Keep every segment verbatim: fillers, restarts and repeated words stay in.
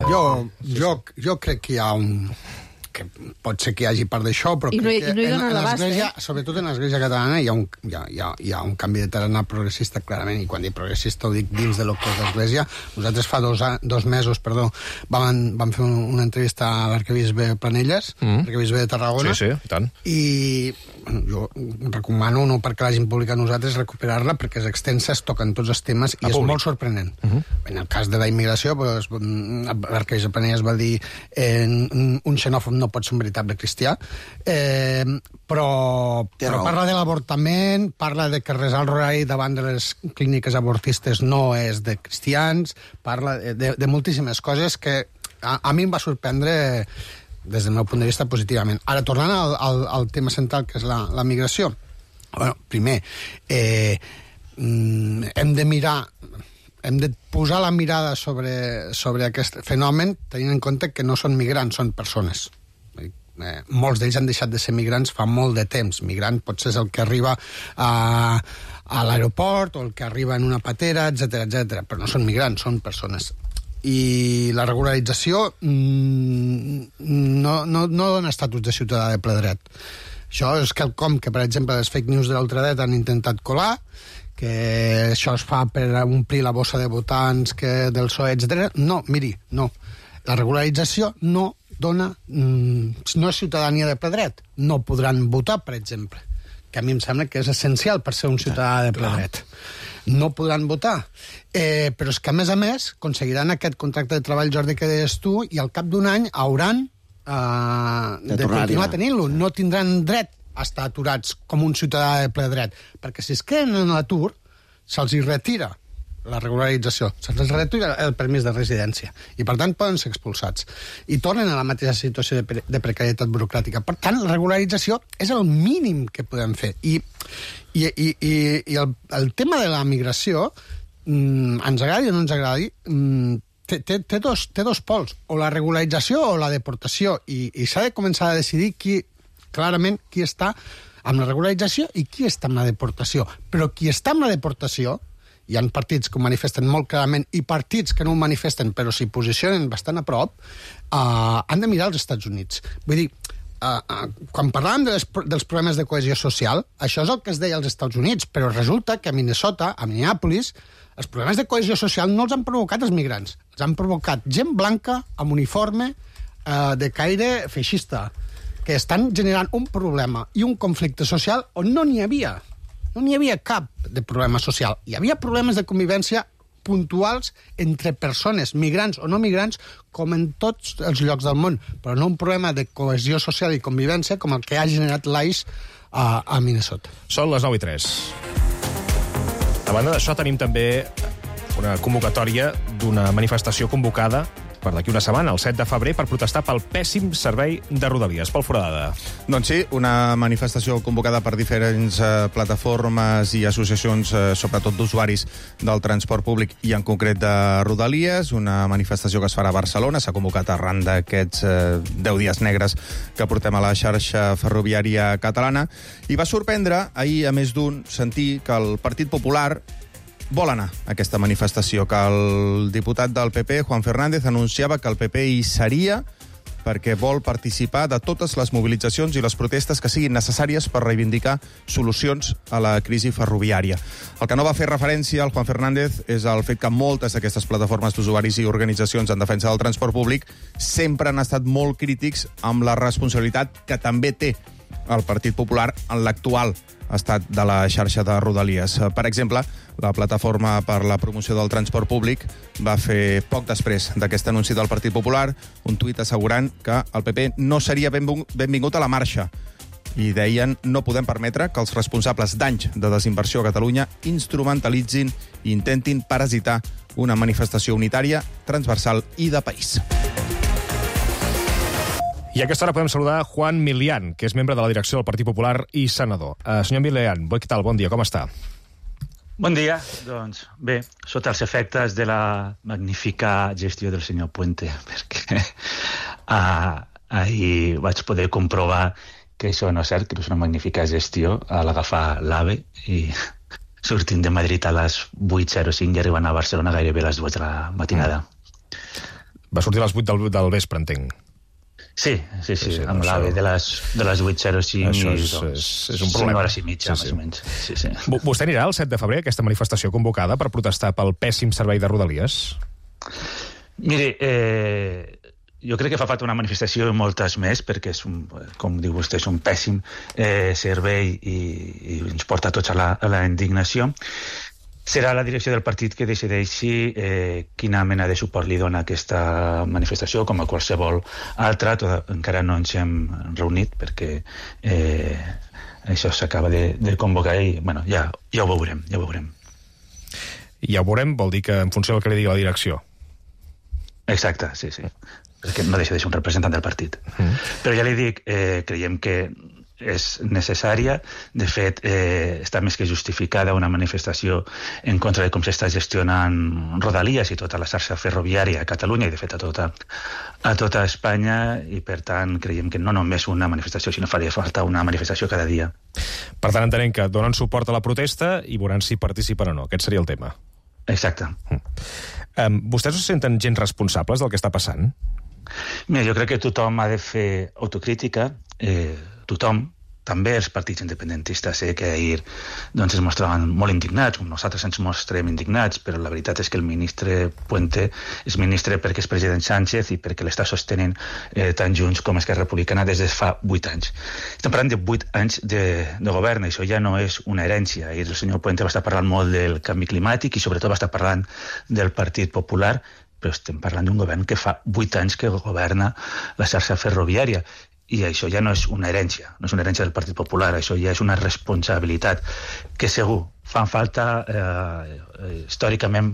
Jo, jo, jo crec que hi ha un... que pot ser que hi hagi part d'això, però I no, crec i no hi que en, donen en l'abast, l'església, eh? sobretot en l'església catalana, hi ha, un, hi, ha, hi, ha, hi ha un canvi de tarannà progressista, clarament, i quan dic progressista ho dic dins de lo que és l'església. Nosaltres fa dos, dos mesos perdó, vam, vam fer una entrevista a l'arquebisbe Planelles, mm. l'arquebisbe de Tarragona, sí, sí, i tant. I bueno, jo recomano, no perquè l'hagin publicat nosaltres, recuperar-la, perquè és extensa, es toquen tots els temes, i a és públic. molt sorprenent. Uh -huh. En el cas de la immigració, pues, l'arquebisbe Planelles va dir eh, un xenòfob no pot ser un veritable cristià, eh, però, però parla de l'avortament, parla de que resar el rorari davant de les clíniques avortistes no és de cristians, parla de, de, de moltíssimes coses que a, a mi em va sorprendre des del meu punt de vista positivament. Ara, tornant al, al, al tema central, que és la, la migració, bueno, primer, eh, hem de mirar... hem de posar la mirada sobre, sobre aquest fenomen tenint en compte que no són migrants, són persones. Eh, molts d'ells han deixat de ser migrants fa molt de temps. Migrant potser és el que arriba a, a l'aeroport o el que arriba en una patera, etcètera, etcètera, però no són migrants, són persones. I la regularització mm, no, no, no dona estatus de ciutadà de ple dret. Això és quelcom que, per exemple, les fake news de l'ultradret han intentat colar, que això es fa per omplir la bossa de votants que del P S O E, etcètera. No, miri, no. La regularització no dona... Mm, no és ciutadania de ple dret. No podran votar, per exemple, que a mi em sembla que és essencial per ser un ciutadà de ple dret. No podran votar. Eh, però és que, a més a més, aconseguiran aquest contracte de treball, Jordi, que deies tu, i al cap d'un any hauran eh, de, de continuar tenint-lo. No tindran dret a estar aturats com un ciutadà de ple dret, perquè si es queden en l'atur, se'ls hi retira la regularització, se'ls retira el permís de residència, i per tant poden ser expulsats. I tornen a la mateixa situació de, pre de precarietat burocràtica. Per tant, la regularització és el mínim que podem fer. I, i, i, i, i el, el tema de la migració, mmm, ens agradi o no ens agradi, mmm, té, té, té, dos, té dos pols, o la regularització o la deportació, i, i s'ha de començar a decidir qui, clarament, qui està amb la regularització i qui està amb la deportació. Però qui està amb la deportació, hi ha partits que ho manifesten molt clarament i partits que no ho manifesten però s'hi posicionen bastant a prop, uh, han de mirar als Estats Units. Vull dir, uh, uh, quan parlàvem de les, dels problemes de cohesió social, això és el que es deia als Estats Units, però resulta que a Minnesota, a Minneapolis, els problemes de cohesió social no els han provocat els migrants, els han provocat gent blanca amb uniforme uh, de caire feixista, que estan generant un problema i un conflicte social on no n'hi havia. No n'hi havia cap de problema social. Hi havia problemes de convivència puntuals entre persones, migrants o no migrants, com en tots els llocs del món, però no un problema de cohesió social i convivència com el que ha generat l'I C E a, a Minnesota. Són les nou i tres. A banda d'això, tenim també una convocatòria d'una manifestació convocada per d'aquí una setmana, el set de febrer, per protestar pel pèssim servei de Rodalies. Pol Foradada. Doncs sí, una manifestació convocada per diferents eh, plataformes i associacions, eh, sobretot d'usuaris del transport públic i en concret de Rodalies, una manifestació que es farà a Barcelona, s'ha convocat arran d'aquests eh, deu dies negres que portem a la xarxa ferroviària catalana, i va sorprendre ahir, a més d'un, sentir que el Partit Popular vol anar a aquesta manifestació, que el diputat del P P, Juan Fernández, anunciava que el P P hi seria perquè vol participar de totes les mobilitzacions i les protestes que siguin necessàries per reivindicar solucions a la crisi ferroviària. El que no va fer referència al Juan Fernández és el fet que moltes d'aquestes plataformes d'usuaris i organitzacions en defensa del transport públic sempre han estat molt crítics amb la responsabilitat que també té el Partit Popular en l'actual estat de la xarxa de Rodalies. Per exemple, la plataforma per la promoció del transport públic va fer poc després d'aquest anunci del Partit Popular un tuit assegurant que el P P no seria benvingut a la marxa. I deien: no podem permetre que els responsables d'anys de desinversió a Catalunya instrumentalitzin i intentin parasitar una manifestació unitària, transversal i de país. I a aquesta hora podem saludar Juan Milián, que és membre de la direcció del Partit Popular i senador. Uh, senyor Milián, què tal? Bon dia, com està? Bon dia. Doncs bé, sota els efectes de la magnífica gestió del senyor Puente, perquè uh, ahir vaig poder comprovar que això no és cert, que és una magnífica gestió a l'agafar l'AVE i sortint de Madrid a les vuit zero cinc i arribant a Barcelona gairebé a les dues de la matinada. Va sortir a les vuit del, del vespre, entenc. Sí, sí, sí, Sí, sí, amb això- l'AVE de les, de les vuit zero cinc Això i és- doncs, és- és un problema. cinc hores i mitja, Sí, sí. més o menys. Sí, sí. V- Vostè anirà el set de febrer a aquesta manifestació convocada per protestar pel pèssim servei de Rodalies? Miri, eh, jo crec que fa falta una manifestació i moltes més, perquè, és un, com diu vostè, és un pèssim eh, servei i, i ens porta tots a la, a la indignació. Serà la direcció del partit que decideixi eh, quina mena de suport li dona a aquesta manifestació, com a qualsevol altra. Tot, encara no ens hem reunit perquè eh, això s'acaba de, de convocar i bueno, ja, ja ho veurem, ja ho veurem. I ja ho veurem, vol dir que en funció del que li digui la direcció. Exacte, sí, sí. Perquè no deixa de ser un representant del partit. Mm. Però ja li dic, eh, creiem que és necessària. De fet, eh, està més que justificada una manifestació en contra de com s'està gestionant Rodalies i tota la xarxa ferroviària a Catalunya i, de fet, a tota, a tota Espanya, i, per tant, creiem que no només una manifestació, sinó faria falta una manifestació cada dia. Per tant, entenem que donen suport a la protesta i veuran si participen o no. Aquest seria el tema. Exacte. Um, vostès se senten gens responsables del que està passant? Mira, jo crec que tothom ha de fer autocrítica, eh, tothom, també els partits independentistes. Sé que ahir doncs, es mostraven molt indignats, com nosaltres ens mostrem indignats, però la veritat és que el ministre Puente és ministre perquè és president Sánchez i perquè l'està sostenint eh, tan junts com Esquerra Republicana des de fa vuit anys. Estem parlant de vuit anys de, de govern, això ja no és una herència. Ahir el senyor Puente va estar parlant molt del canvi climàtic i sobretot va estar parlant del Partit Popular, però estem parlant d'un govern que fa vuit anys que governa la xarxa ferroviària. I això ja no és una herència, no és una herència del Partit Popular, això ja és una responsabilitat que segur fan falta, eh, històricament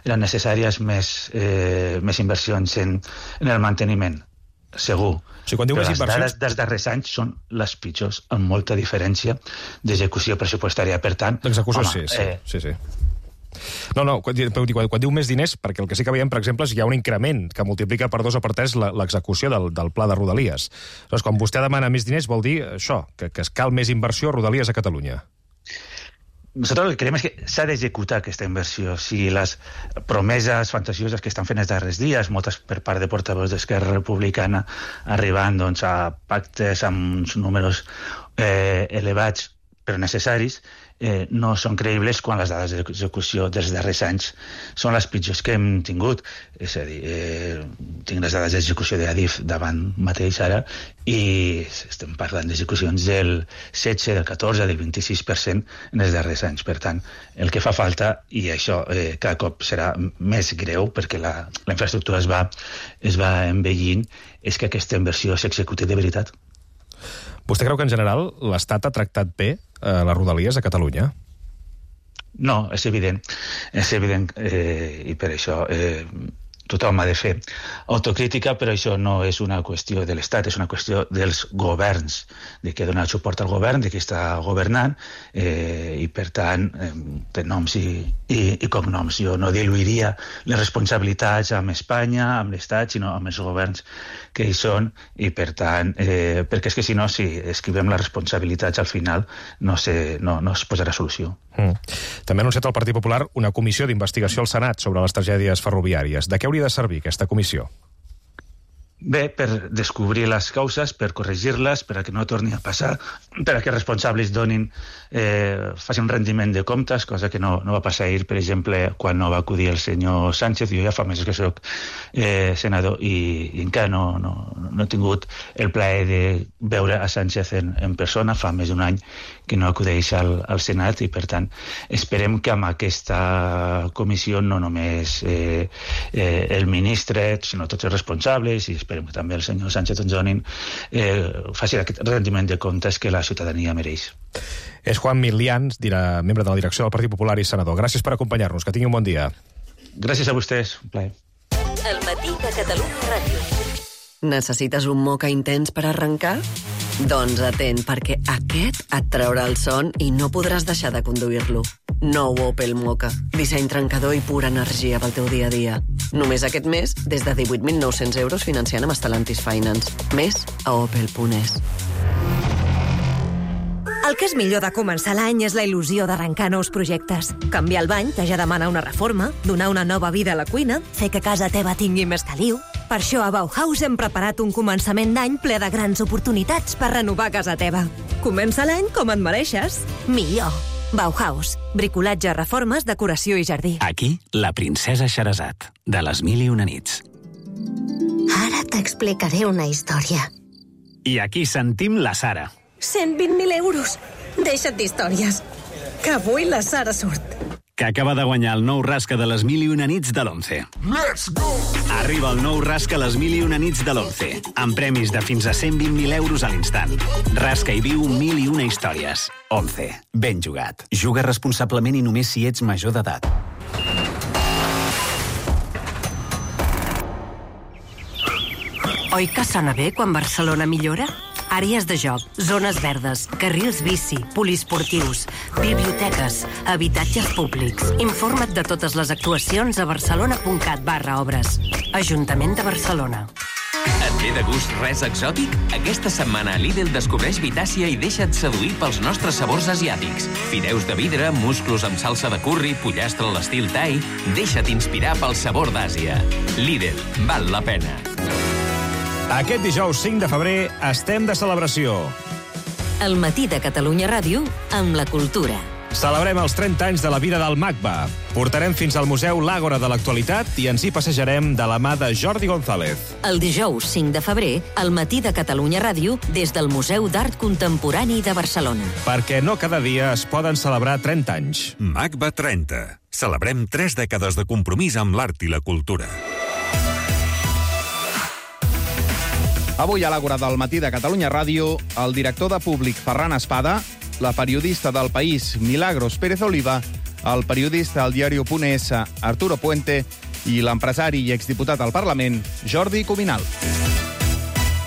eren necessàries més, eh, més inversions en, en el manteniment, segur. Sí, quan diu Però més les inversions- dades dels darrers anys són les pitjors, amb molta diferència d'execució pressupostària. Per tant, L'execució, home, sí, sí, eh, sí, sí. No, no, quan, quan, quan diu més diners, perquè el que sí que veiem, per exemple, és que hi ha un increment que multiplica per dos o per tres la- l'execució del, del pla de Rodalies. Llavors, quan vostè demana més diners, vol dir això, que, que es cal més inversió a Rodalies a Catalunya. Nosaltres el que creiem és que s'ha d'executar aquesta inversió. Si les promeses fantasioses que estan fent els darrers dies, moltes per part de portaveus d'Esquerra Republicana, arribant doncs, a pactes amb uns números eh, elevats però necessaris, eh, no són creïbles quan les dades d'execució dels darrers anys són les pitjors que hem tingut. És a dir, eh, tinc les dades d'execució d'Adif davant mateix ara i estem parlant d'execucions del setze, del catorze, del vint-i-sis per cent en els darrers anys. Per tant, el que fa falta, i això eh, cada cop serà més greu perquè la, la infraestructura es va, es va envellint, és que aquesta inversió s'executi de veritat. Vostè creu que, en general, l'Estat ha tractat bé eh, les Rodalies a Catalunya? No, és evident. És evident, eh, i per això eh, tothom ha de fer autocrítica, però això no és una qüestió de l'Estat, és una qüestió dels governs, de qui ha donat suport al govern, de qui està governant, eh, i per tant, eh, de noms i, i, i cognoms. Jo no diluiria les responsabilitats amb Espanya, amb l'Estat, sinó amb els governs que hi són, i per tant, eh, perquè és que si no, si escrivem les responsabilitats al final, no, se, no, no es posarà solució. Mm. També ha anunciat el Partit Popular una comissió d'investigació al Senat sobre les tragèdies ferroviàries. De què hauria de servir aquesta comissió? Bé, per descobrir les causes, per corregir-les, per a que no torni a passar, per a que els responsables donin, eh, facin un rendiment de comptes, cosa que no, no va passar ahir, per exemple, quan no va acudir el senyor Sánchez. Jo ja fa mesos que soc eh, senador i, i encara no, no, no he tingut el plaer de veure a Sánchez en, en persona. Fa més d'un any que no acudeix al, al Senat i, per tant, esperem que amb aquesta comissió no només eh, eh, el ministre, sinó tots els responsables, i esperem que també el senyor Sánchez ens donin, eh, faci aquest rendiment de comptes que la ciutadania mereix. És Juan Milián, dirà, membre de la direcció del Partit Popular i senador. Gràcies per acompanyar-nos. Que tingui un bon dia. Gràcies a vostès. Un plaer. El matí de Catalunya Ràdio. Necessites un moca intens per arrencar? Doncs atent, perquè aquest et traurà el son i no podràs deixar de conduir-lo. Nou Opel Moka. Disseny trencador i pura energia pel teu dia a dia. Només aquest mes, des de divuit mil nou-cents euros financiant amb Stellantis Finance. Més a opel punt es. El El que és millor de començar l'any és la il·lusió d'arrencar nous projectes. Canviar el bany, que ja demana una reforma, donar una nova vida a la cuina, fer que casa teva tingui més caliu. Per això a Bauhaus hem preparat un començament d'any ple de grans oportunitats per renovar casa teva. Comença l'any com et mereixes. Millor. Bauhaus. Bricolatge, reformes, decoració i jardí. Aquí, la princesa Xerazat, de les mil i una nits. Ara t'explicaré una història. I aquí sentim la Sara. cent vint mil euros. Deixa't d'històries. Que avui la Sara surt. Que acaba de guanyar el nou rasca de les mil i una nits de l'Once. Let's go! Arriba el nou rasca les mil i una nits de l'Once, amb premis de fins a cent vint mil euros a l'instant. Rasca i viu mil i una històries. Once. Ben jugat. Juga responsablement i només si ets major d'edat. Oi que sona bé quan Barcelona millora? Àrees de joc, zones verdes, carrils bici, poliesportius, biblioteques, habitatges públics. Informa't de totes les actuacions a barcelona.cat barra obres. Ajuntament de Barcelona. Et ve de gust res exòtic? Aquesta setmana a Lidl descobreix Vitàcia i deixa't seduir pels nostres sabors asiàtics. Fideus de vidre, musclos amb salsa de curri, pollastre a l'estil thai... Deixa't inspirar pel sabor d'Àsia. Lidl, val la pena. Aquest dijous cinc de febrer estem de celebració. El matí de Catalunya Ràdio amb la cultura. Celebrem els trenta anys de la vida del Magba. Portarem fins al Museu l'Àgora de l'Actualitat i ens hi passejarem de la mà de Jordi González. El dijous cinc de febrer, al matí de Catalunya Ràdio, des del Museu d'Art Contemporani de Barcelona. Perquè no cada dia es poden celebrar trenta anys. Magba trenta. Celebrem tres dècades de compromís amb l'art i la cultura. Avui a l'Àgora del matí de Catalunya Ràdio, el director de Públic Ferran Espada, la periodista del País Milagros Pérez Oliva, el periodista del diari Punt Es Arturo Puente i l'empresari i exdiputat al Parlament Jordi Cuminal.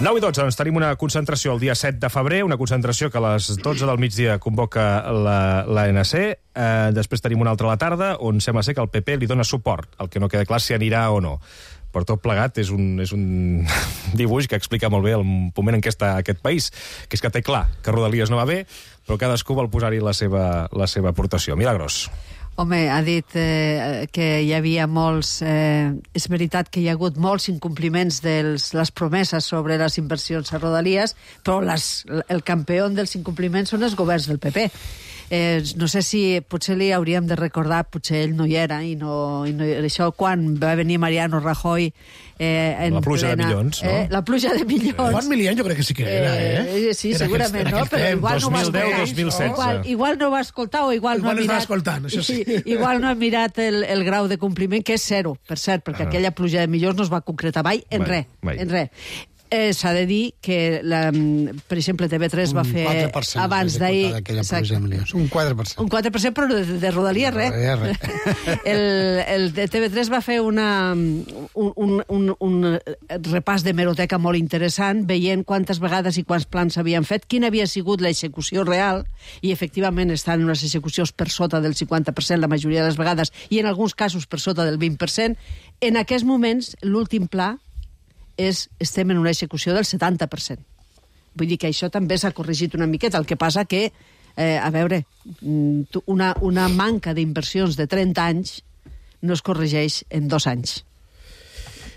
nou i dotze, doncs tenim una concentració el dia set de febrer, una concentració que a les dotze del migdia convoca l'A N C. Eh, després tenim una altra a la tarda, on sembla ser que el P P li dona suport, el que no queda clar si anirà o no. Per tot plegat, és un, és un dibuix que explica molt bé el moment en què està aquest país, que és que té clar que Rodalies no va bé, però cadascú vol posar-hi la seva, la seva aportació. Milagros. Home, ha dit eh, que hi havia molts... Eh, és veritat que hi ha hagut molts incompliments de les promeses sobre les inversions a Rodalies, però les, el campió dels incompliments són els governs del P P. Eh, no sé si potser li hauríem de recordar, potser ell no hi era, i no, i no això quan va venir Mariano Rajoy eh, en la pluja plena, de milions, no? Eh, la pluja de milions. Juan Milián jo crec que sí que era, eh? eh sí, era segurament, aquest, no? Però igual no va dos mil deu dos mil setze. Igual, igual no va escoltar o igual, igual no ha no mirat... escoltant, això sí. Igual no ha mirat el, el grau de compliment, que és zero, per cert, perquè ah. aquella pluja de milions no es va concretar mai en mai, res, mai. en res. Eh, S'ha de dir que, la, per exemple, T V tres va fer abans d'ahir... Un quatre per cent. Un quatre per cent, però de, de Rodalies, res. El, el de T V tres va fer una, un, un, un, un repàs d'hemeroteca molt interessant, veient quantes vegades i quants plans s'havien fet, quina havia sigut l'execució real, i efectivament estan unes execucions per sota del cinquanta per cent la majoria de les vegades, i en alguns casos per sota del vint per cent. En aquests moments, l'últim pla és, estem en una execució del setanta per cent. Vull dir que això també s'ha corregit una miqueta. El que passa que, eh, a veure, una, una manca d'inversions de trenta anys no es corregeix en dos anys.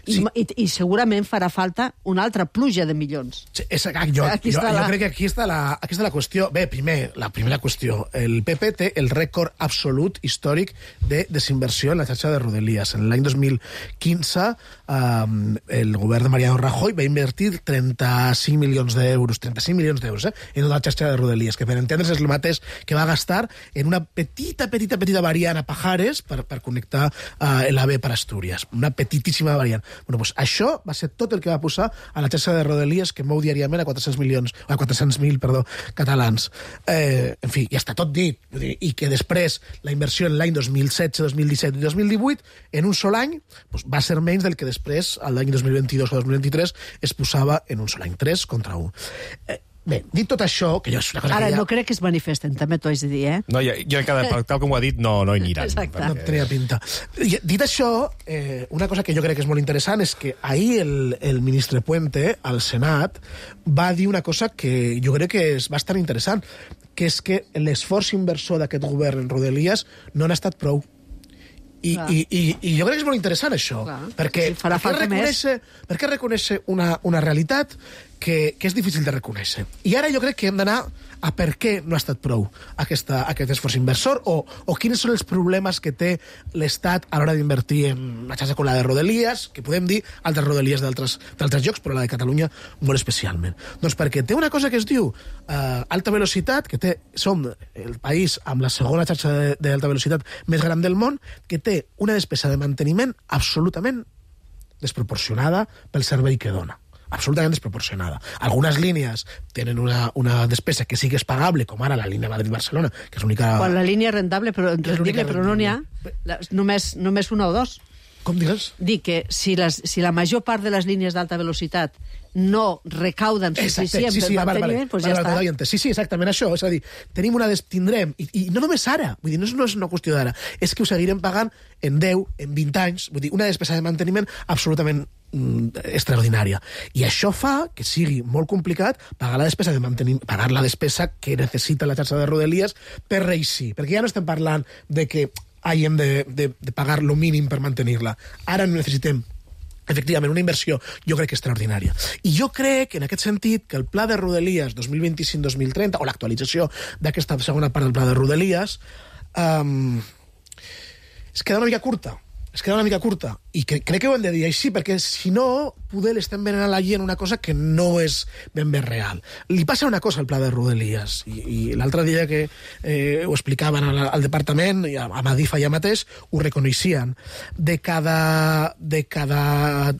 I, sí. i, i segurament farà falta una altra pluja de milions. Sí, és, jo, jo, jo la... crec que aquí està, la, aquí està la qüestió. Bé, primer, la primera qüestió. El P P té el rècord absolut històric de desinversió en la xarxa de Rodalies. En l'any dos mil quinze, um, el govern de Mariano Rajoy va invertir trenta-cinc milions d'euros, trenta-cinc milions d'euros, eh, en la xarxa de Rodalies, que per entendre's és el mateix que va gastar en una petita, petita, petita variant a Pajares per, per connectar uh, l'AVE per Astúries. Una petitíssima variant. Bueno, doncs això va ser tot el que va posar a la xarxa de Rodalies, que mou diàriament a quatre-cents milions, a quatre-cents mil, perdó, catalans. Eh, en fi, ja està tot dit. I que després la inversió en l'any dos mil setze, dos mil disset i dos mil divuit, en un sol any, doncs va ser menys del que després, l'any dos mil vint-i-dos o dos mil vint-i-tres, es posava en un sol any, tres contra un. Eh, Bé, dit tot això, que jo és una cosa Ara, que ja... no crec que es manifesten, també t'ho haig de dir, eh? No, jo, jo cada, tal com ho ha dit, no, no hi aniran. Exacte. Perquè... No tenia pinta. Dit això, eh, una cosa que jo crec que és molt interessant és que ahir el, el ministre Puente, al Senat, va dir una cosa que jo crec que és bastant interessant, que és que l'esforç inversor d'aquest govern en Rodalies no n'ha estat prou. I, i, i, i jo crec que és molt interessant això, clar, perquè, sí, perquè reconèixer, perquè reconèixer una, una realitat que, que és difícil de reconèixer. I ara jo crec que hem d'anar a per què no ha estat prou aquesta, aquest esforç inversor o, o quins són els problemes que té l'Estat a l'hora d'invertir en una xarxa com la de Rodalies, que podem dir altres Rodalies d'altres llocs, però la de Catalunya molt especialment. Doncs perquè té una cosa que es diu eh, alta velocitat, que té, som el país amb la segona xarxa d'alta velocitat més gran del món, que té una despesa de manteniment absolutament desproporcionada pel servei que dona. Absolutament desproporcionada. Algunes línies tenen una, una despesa que sí que és pagable, com ara la línia Madrid-Barcelona, que és l'única... Quan la línia és rentable, però, rendible, però no n'hi ha. La, només, només una o dos. Com digues? Dic que si, les, si la major part de les línies d'alta velocitat no recauden suficient sí, sí, per vale, manteniment, vale, doncs ja vale, està. Sí, sí, exactament això. És a dir, tenim una des... tindrem, i, i no només ara, vull dir, no és, no és una qüestió d'ara, és que ho seguirem pagant en deu, en vint anys, vull dir, una despesa de manteniment absolutament mm, extraordinària. I això fa que sigui molt complicat pagar la despesa de manteniment, pagar la despesa que necessita la xarxa de Rodalies per reeixir, perquè ja no estem parlant de que hàgim de, de, de pagar lo mínim per mantenir-la. Ara necessitem efectivament, una inversió, jo crec que extraordinària. I jo crec, en aquest sentit, que el pla de Rodalies dos mil vint-i-cinc dos mil trenta, o l'actualització d'aquesta segona part del pla de Rodalies, um, es queda una mica curta. Es queda una mica curta. I que, crec que ho hem de dir així, perquè si no, poder l'estem venent a la gent una cosa que no és ben bé real. Li passa una cosa al pla de Rodalies, i, i l'altre dia que eh, ho explicaven al, al departament, i a, a Madif allà mateix, ho reconeixien. De cada... de cada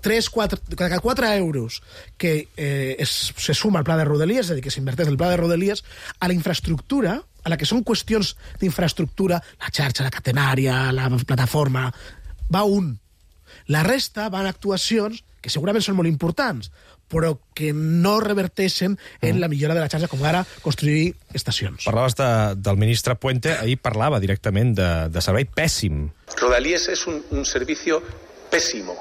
tres, quatre, cada quatre euros que eh, es, se suma al pla de Rodalies, és a dir, que s'inverteix el pla de Rodalies, a la infraestructura, a la que són qüestions d'infraestructura, la xarxa, la catenària, la plataforma, va un. La resta van actuacions que segurament són molt importants, però que no reverteixen en la millora de la xarxa, com ara construir estacions. Parlaves de, del ministre Puente, ahir parlava directament de, de servei pèssim. Rodalies es un, un servicio pésimo,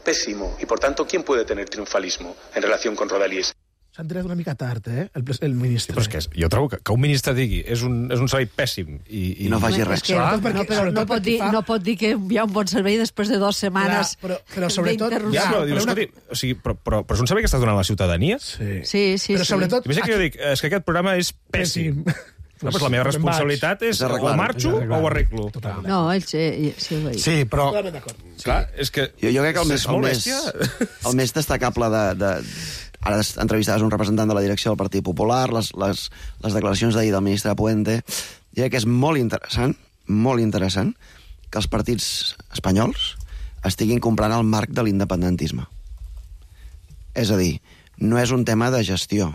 pésimo, y por tanto, ¿quién puede tener triunfalismo en relación con Rodalies? S'han tirat una mica tard, eh, el, el ministre. Però és que és, jo trobo que, que un ministre digui és un, és un servei pèssim i, i... I no faci res. Que, perquè, no, però no pot, dir, fa... no pot dir que hi ha un bon servei després de dues setmanes ja, però, però sobretot... Ja, però, dius, escolti, o sigui, però, però, però és un servei que està donant a la ciutadania? Sí, sí, sí. Però sí. sobretot... Imagina que jo dic, és que aquest programa és pèssim. No, doncs la meva responsabilitat és o marxo o ho arreglo. No, ell sí, sí, ho sí, però... Clar, és que... Jo, jo crec que el més, el més, el més destacable de... de... Ara entrevistaves un representant de la direcció del Partit Popular, les, les, les declaracions d'ahir del ministre Puente. Jo crec que és molt interessant, molt interessant, que els partits espanyols estiguin comprant el marc de l'independentisme. És a dir, no és un tema de gestió.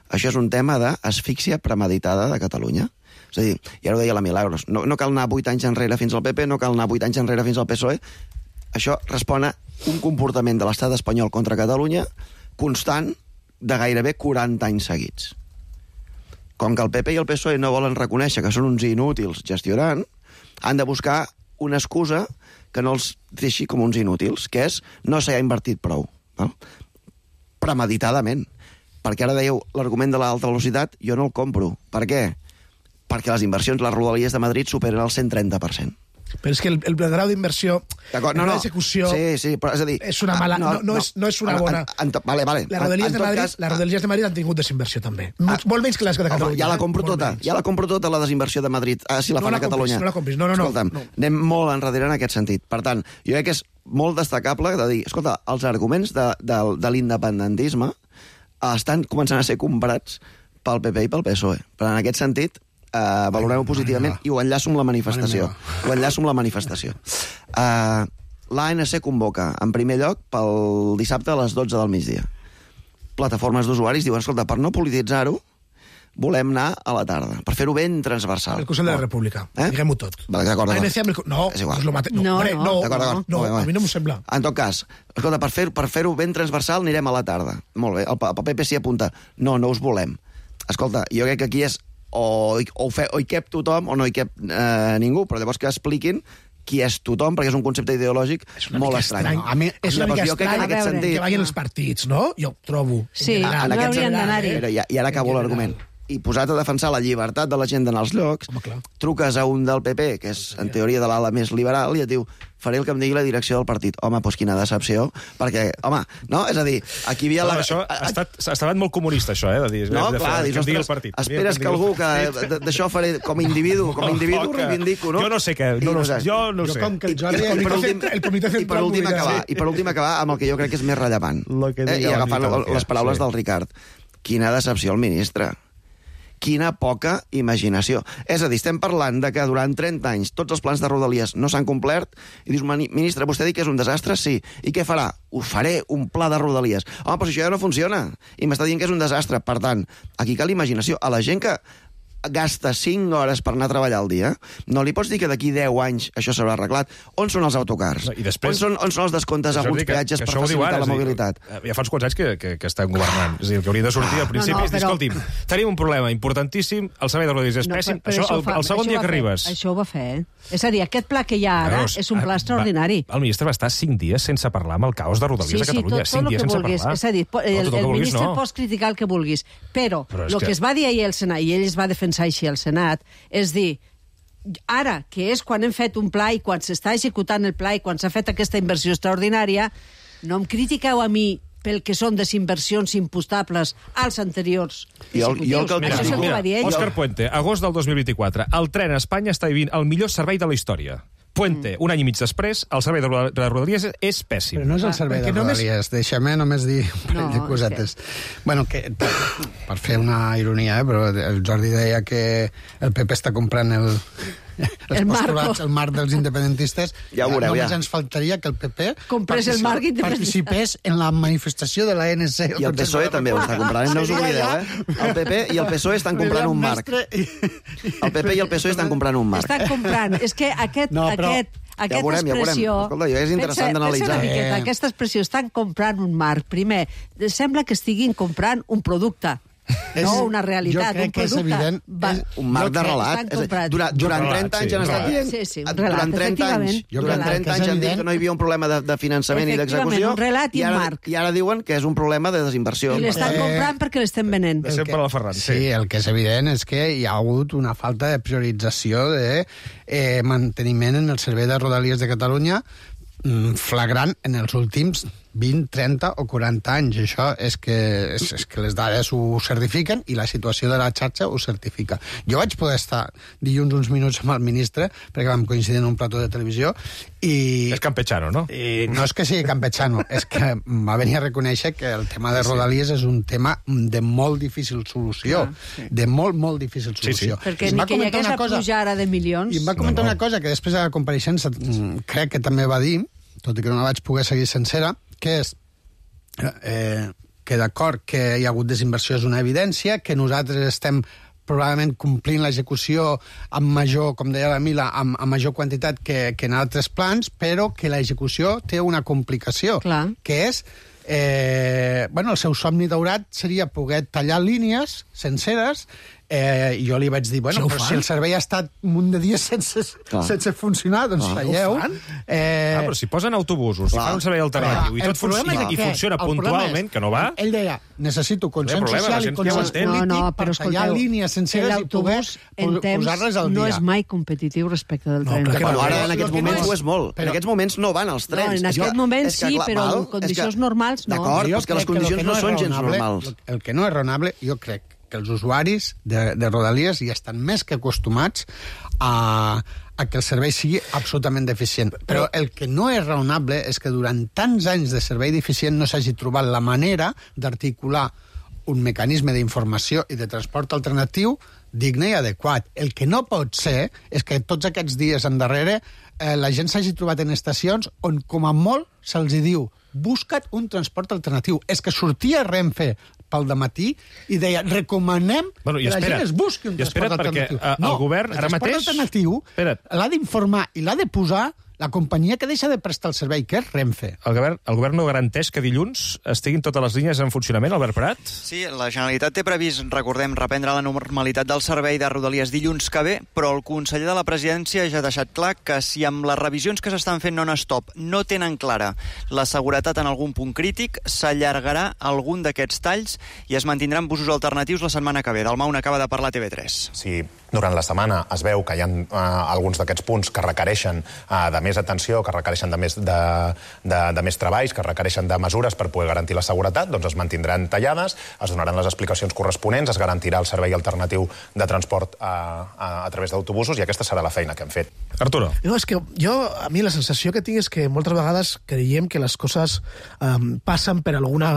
Això és un tema d'asfíxia premeditada de Catalunya. És a dir, ja ho deia la Milagros, no, no cal anar vuit anys enrere fins al P P, no cal anar vuit anys enrere fins al P S O E. Això respon a un comportament de l'estat espanyol contra Catalunya constant de gairebé quaranta anys seguits. Com que el P P i el P S O E no volen reconèixer que són uns inútils gestionant, han de buscar una excusa que no els deixi com uns inútils, que és no s'hi ha invertit prou. No? Premeditadament. Perquè ara dèieu l'argument de l'alta velocitat, jo no el compro. Per què? Perquè les inversions, les Rodalies de Madrid superen el cent trenta per cent. Però és que el, el grau d'inversió, no, no, l'execució, sí, sí, però és a dir, és una mala, no, no, no, és, no és una bona... En, en, en, vale, vale. Les Rodalies de Madrid, cas, les Rodalies de Madrid han tingut desinversió també. Molt, molt menys que les de Catalunya. Ja la compro tota, ja la compro tota la desinversió de Madrid, ah, si la no fan la a Catalunya. Compris, no la compris, no, no, Escolta'm, no. anem molt enrere en aquest sentit. Per tant, jo crec que és molt destacable de dir, escolta, els arguments de, de, de l'independentisme estan començant a ser comprats pel P P i pel P S O E. Però en aquest sentit, Uh, valorem-ho positivament i ho enllaço amb la manifestació. Ho enllaço amb la manifestació. Uh, L'A N C convoca, en primer lloc, pel dissabte a les dotze del migdia. Plataformes d'usuaris diuen, escolta, per no polititzar-ho, volem anar a la tarda, per fer-ho ben transversal. El Consell de la República, eh? Diguem-ho tot. Vale, d'acord, d'acord. A N C amb el... No, és igual. No, mate... no, no, no, d'acord, d'acord. no, no, a mi no m'ho sembla. En tot cas, escolta, per fer-ho per fer ben transversal anirem a la tarda. Molt bé, el, el P P s'hi apunta. No, no us volem. Escolta, jo crec que aquí és o, o, fe, o hi cap tothom o no hi cap eh, ningú, però llavors que expliquin qui és tothom, perquè és un concepte ideològic molt estrany. estrany. A mi és una mica estrany que, sentit... que vagin els partits, no? Jo ho trobo. Sí, en, en no aquest haurien d'anar-hi. I, I ara acabo l'argument. i posat a defensar la llibertat de la gent d'anar als llocs, truques a un del P P, que és, en teoria, de l'ala més liberal, i et diu, faré el que em digui la direcció del partit. Home, doncs quina decepció, perquè, home, no? És a dir, aquí hi havia... No, la... això ha estat, ha estat molt comunista, això, eh? De dir, no, de clar, fer, dius, que ostres, el partit. esperes que algú que d'això faré com a individu, com a individu reivindico, no? Jo no sé què, no, no, jo no ho sé. Com que el Jordi... El comitè, el comitè I per últim acabar, i per últim acabar amb el que jo crec que és més rellevant. Eh? I agafant les paraules sí. del Ricard. Quina decepció el ministre. Quina poca imaginació. És a dir, estem parlant de que durant trenta anys tots els plans de Rodalies no s'han complert i dius, ministre, vostè diu que és un desastre? Sí. I què farà? Ho faré, un pla de Rodalies. Home, però això ja no funciona. I m'està dient que és un desastre. Per tant, aquí cal imaginació. A la gent que gasta cinc hores per anar a treballar al dia, no li pots dir que d'aquí deu anys això s'haurà arreglat. On són els autocars? I després, on, són, on són els descomptes a alguns peatges per facilitar ara, la mobilitat? Dir, ja fa uns quants anys que, que, que estan governant. És a dir, que hauria de sortir al principi no, no, és dir, però... escolti'm, tenim un problema importantíssim, el servei de Rodalies és no, pèssim, això, això el, fa, el segon això dia que fer, arribes... Això ho va fer, eh? És a dir, aquest pla que hi ha ara Veus, és un pla extraordinari. Va, el ministre va estar cinc dies sense parlar amb el caos de Rodalies sí, a Catalunya. Sí, tot, tot cinc dies sense vulguis. parlar. És a dir, el, el, el ministre no. pots criticar el que vulguis, però, però el que... que es va dir ahir al Senat, i ell es va defensar així al Senat, és dir, ara, que és quan hem fet un pla i quan s'està executant el pla i quan s'ha fet aquesta inversió extraordinària, no em critiqueu a mi pel que són desinversions impostables als anteriors executius. Això és el que va dir ell. Òscar Puente, agost del dos mil vint-i-quatre. El tren a Espanya està vivint el millor servei de la història. Puente, mm. un any i mig després, el servei de Rodalies és pèssim. Però no és el servei de Rodalies, només... deixa'm només dir un parell no, de cosetes. Que... Bueno, que, per, per fer una ironia, eh, però el Jordi deia que el P P està comprant el... el postulats, el marc dels independentistes. Ja ho veureu, només ja. ens faltaria que el P P comprés el marc participés en la manifestació de la A N C. I el P S O E també ho està comprant, no us oblideu, eh? El P P i el P S O E estan comprant un marc. El P P i el P S O E estan comprant un marc. Estan comprant. És que aquest... No, però... aquest Aquesta ja veurem, expressió... Ja Escolta, és interessant d'analitzar. Eh. Aquesta expressió, estan comprant un marc. Primer, sembla que estiguin comprant un producte. És, no una realitat, un producte. Evident, va, un marc de relat. Durant, durant trenta anys han estat dient... Sí, sí, un relat, durant trenta anys, durant trenta anys han dit que no hi havia un problema de, de finançament i d'execució. Un relat i, i, ara, un marc. I ara diuen que és un problema de desinversió. I l'estan eh, comprant perquè l'estem venent. De sempre la Ferran. Sí, el que és evident és que hi ha hagut una falta de priorització de eh, manteniment en el servei de Rodalies de Catalunya flagrant en els últims vint, trenta o quaranta anys. Això és que, és, és que les dades ho certifiquen i la situació de la xarxa ho certifica. Jo vaig poder estar dilluns uns minuts amb el ministre, perquè vam coincidir en un plató de televisió, i... És campechano, no? I no és que sigui campechano, és que va venir a reconèixer que el tema de Rodalies és un tema de molt difícil solució. Ah, sí. De molt, molt difícil solució. Sí, sí. Perquè ni que hi hagués la pujada de milions... I em va comentar no, no. una cosa que després de la compareixença crec que també va dir, tot i que no la vaig poder seguir sencera, que és eh, que d'acord que hi ha hagut desinversió és una evidència, que nosaltres estem probablement complint l'execució amb major, com deia la Mila, amb, amb major quantitat que, que en altres plans, però que l'execució té una complicació, Clar. que és eh, bueno, el seu somni daurat seria poder tallar línies senceres. Eh, I jo li vaig dir, bueno, però si el servei ha estat un munt de dies sense, sense funcionar, doncs ah, talleu. Eh... Ah, però si posen autobusos, si fan un servei alternatiu i tot funciona, i funciona puntualment, que no va... Ell deia, necessito consens social i consens polític per tallar línies senceres i poder posar-les al dia. No és mai competitiu respecte del tren. Però ara, en aquests moments, ho és molt. En aquests moments no van els trens. En aquests moments sí, però en condicions normals no. D'acord, però és que les condicions no són gens normals. El que no és raonable, jo crec, que els usuaris de, de Rodalies ja estan més que acostumats a, a que el servei sigui absolutament deficient. Però el que no és raonable és que durant tants anys de servei deficient no s'hagi trobat la manera d'articular un mecanisme d'informació i de transport alternatiu digne i adequat. El que no pot ser és que tots aquests dies endarrere eh, la gent s'hagi trobat en estacions on com a molt se'ls diu busca't un transport alternatiu. És que sortia Renfe pel dematí i deia, recomanem bueno, que la gent es busqui un transport alternatiu. Perquè, uh, no, el govern el ara mateix... transport alternatiu l'ha d'informar i l'ha de posar la companyia que deixa de prestar el servei, que és Renfe. El govern, el govern no garanteix que dilluns estiguin totes les línies en funcionament, Albert Prat? Sí, la Generalitat té previst, recordem, reprendre la normalitat del servei de Rodalies dilluns que ve, però el conseller de la presidència ja ha deixat clar que si amb les revisions que s'estan fent non-stop no tenen clara la seguretat en algun punt crític, s'allargarà algun d'aquests talls i es mantindran busos alternatius la setmana que ve. Dalmau n'acaba de parlar a T V tres. Sí, durant la setmana es veu que hi ha uh, alguns d'aquests punts que requereixen uh, de més atenció, que requereixen de més, de, de, de més treballs, que requereixen de mesures per poder garantir la seguretat, doncs es mantindran tallades, es donaran les explicacions corresponents, es garantirà el servei alternatiu de transport a, a, a través d'autobusos i aquesta serà la feina que hem fet. Arturo. No, és que jo, a mi la sensació que tinc és que moltes vegades creiem que les coses um, passen per alguna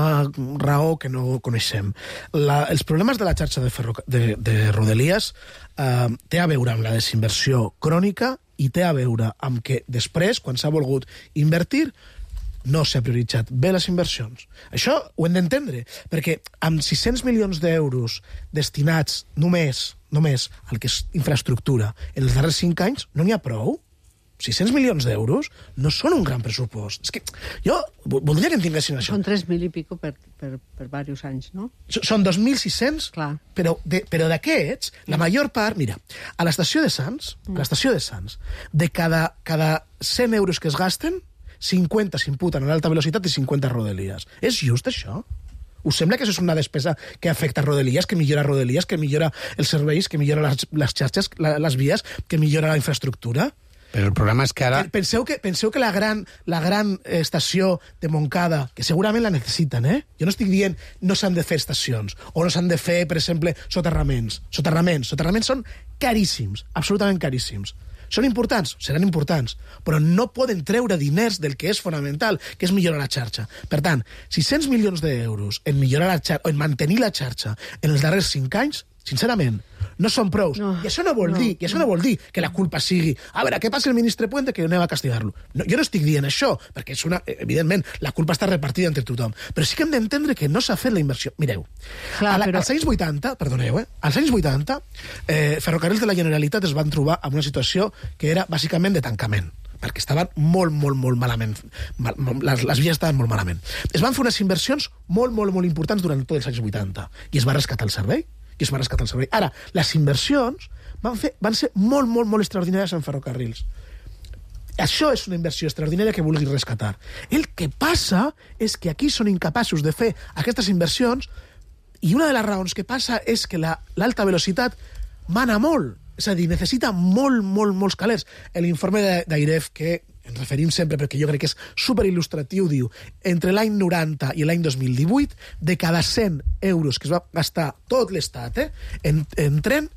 raó que no coneixem. La, els problemes de la xarxa de, ferroca, de, de Rodalies uh, té a veure amb la desinversió crònica i té a veure amb que després, quan s'ha volgut invertir, no s'ha prioritzat bé les inversions. Això ho hem d'entendre, perquè amb sis-cents milions d'euros destinats només, només al que és infraestructura en els darrers cinc anys, no n'hi ha prou. sis-cents milions d'euros no són un gran pressupost. És que jo voldria que entenguessin això. Són tres mil i pico per, per, per diversos anys, no? Són dos mil sis-cents, però, de, però d'aquests, la major part... Mira, a l'estació de Sants, a l'estació de Sants, de cada, cada cent euros que es gasten, cinquanta s'imputen a l'alta velocitat i cinquanta a Rodalies. És just això? Us sembla que això és una despesa que afecta Rodalies, que millora Rodalies, que millora els serveis, que millora les, les xarxes, les vies, que millora la infraestructura? Però el problema és que ara... Penseu que, penseu que la gran, la gran estació de Montcada, que segurament la necessiten, eh? Jo no estic dient no s'han de fer estacions, o no s'han de fer, per exemple, soterraments. Soterraments. Soterraments són caríssims, absolutament caríssims. Són importants? Seran importants, però no poden treure diners del que és fonamental, que és millorar la xarxa. Per tant, sis-cents milions d'euros en millorar la xarxa, o en mantenir la xarxa en els darrers cinc anys, sincerament, no són prous. No, I això no vol no, dir, i això no vol dir que la culpa sigui a veure, què passa el ministre Puente que anem a castigar-lo. No, jo no estic dient això, perquè és una, evidentment la culpa està repartida entre tothom, però sí que hem d'entendre que no s'ha fet la inversió. Mireu, Clar, la, però... als anys vuitanta, perdoneu, eh, als anys vuitanta, eh, Ferrocarrils de la Generalitat es van trobar en una situació que era bàsicament de tancament, perquè estaven molt, molt, molt malament. Mal, les, les vies estaven molt malament. Es van fer unes inversions molt, molt, molt importants durant tots els anys vuitanta, i es va rescatar el servei, i es va rescatar el servei. Ara, les inversions van, fer, van ser molt, molt, molt extraordinàries en ferrocarrils. Això és una inversió extraordinària que vulgui rescatar. El que passa és que aquí són incapaços de fer aquestes inversions i una de les raons que passa és que l'alta la, velocitat mana molt. És a dir, necessita molt, molt, molts calers. L'informe d'Airef, que ens referim sempre perquè jo crec que és superil·lustratiu, diu, entre l'any noranta i l'any dos mil divuit, de cada cent euros que es va gastar tot l'Estat, eh, en, en tren,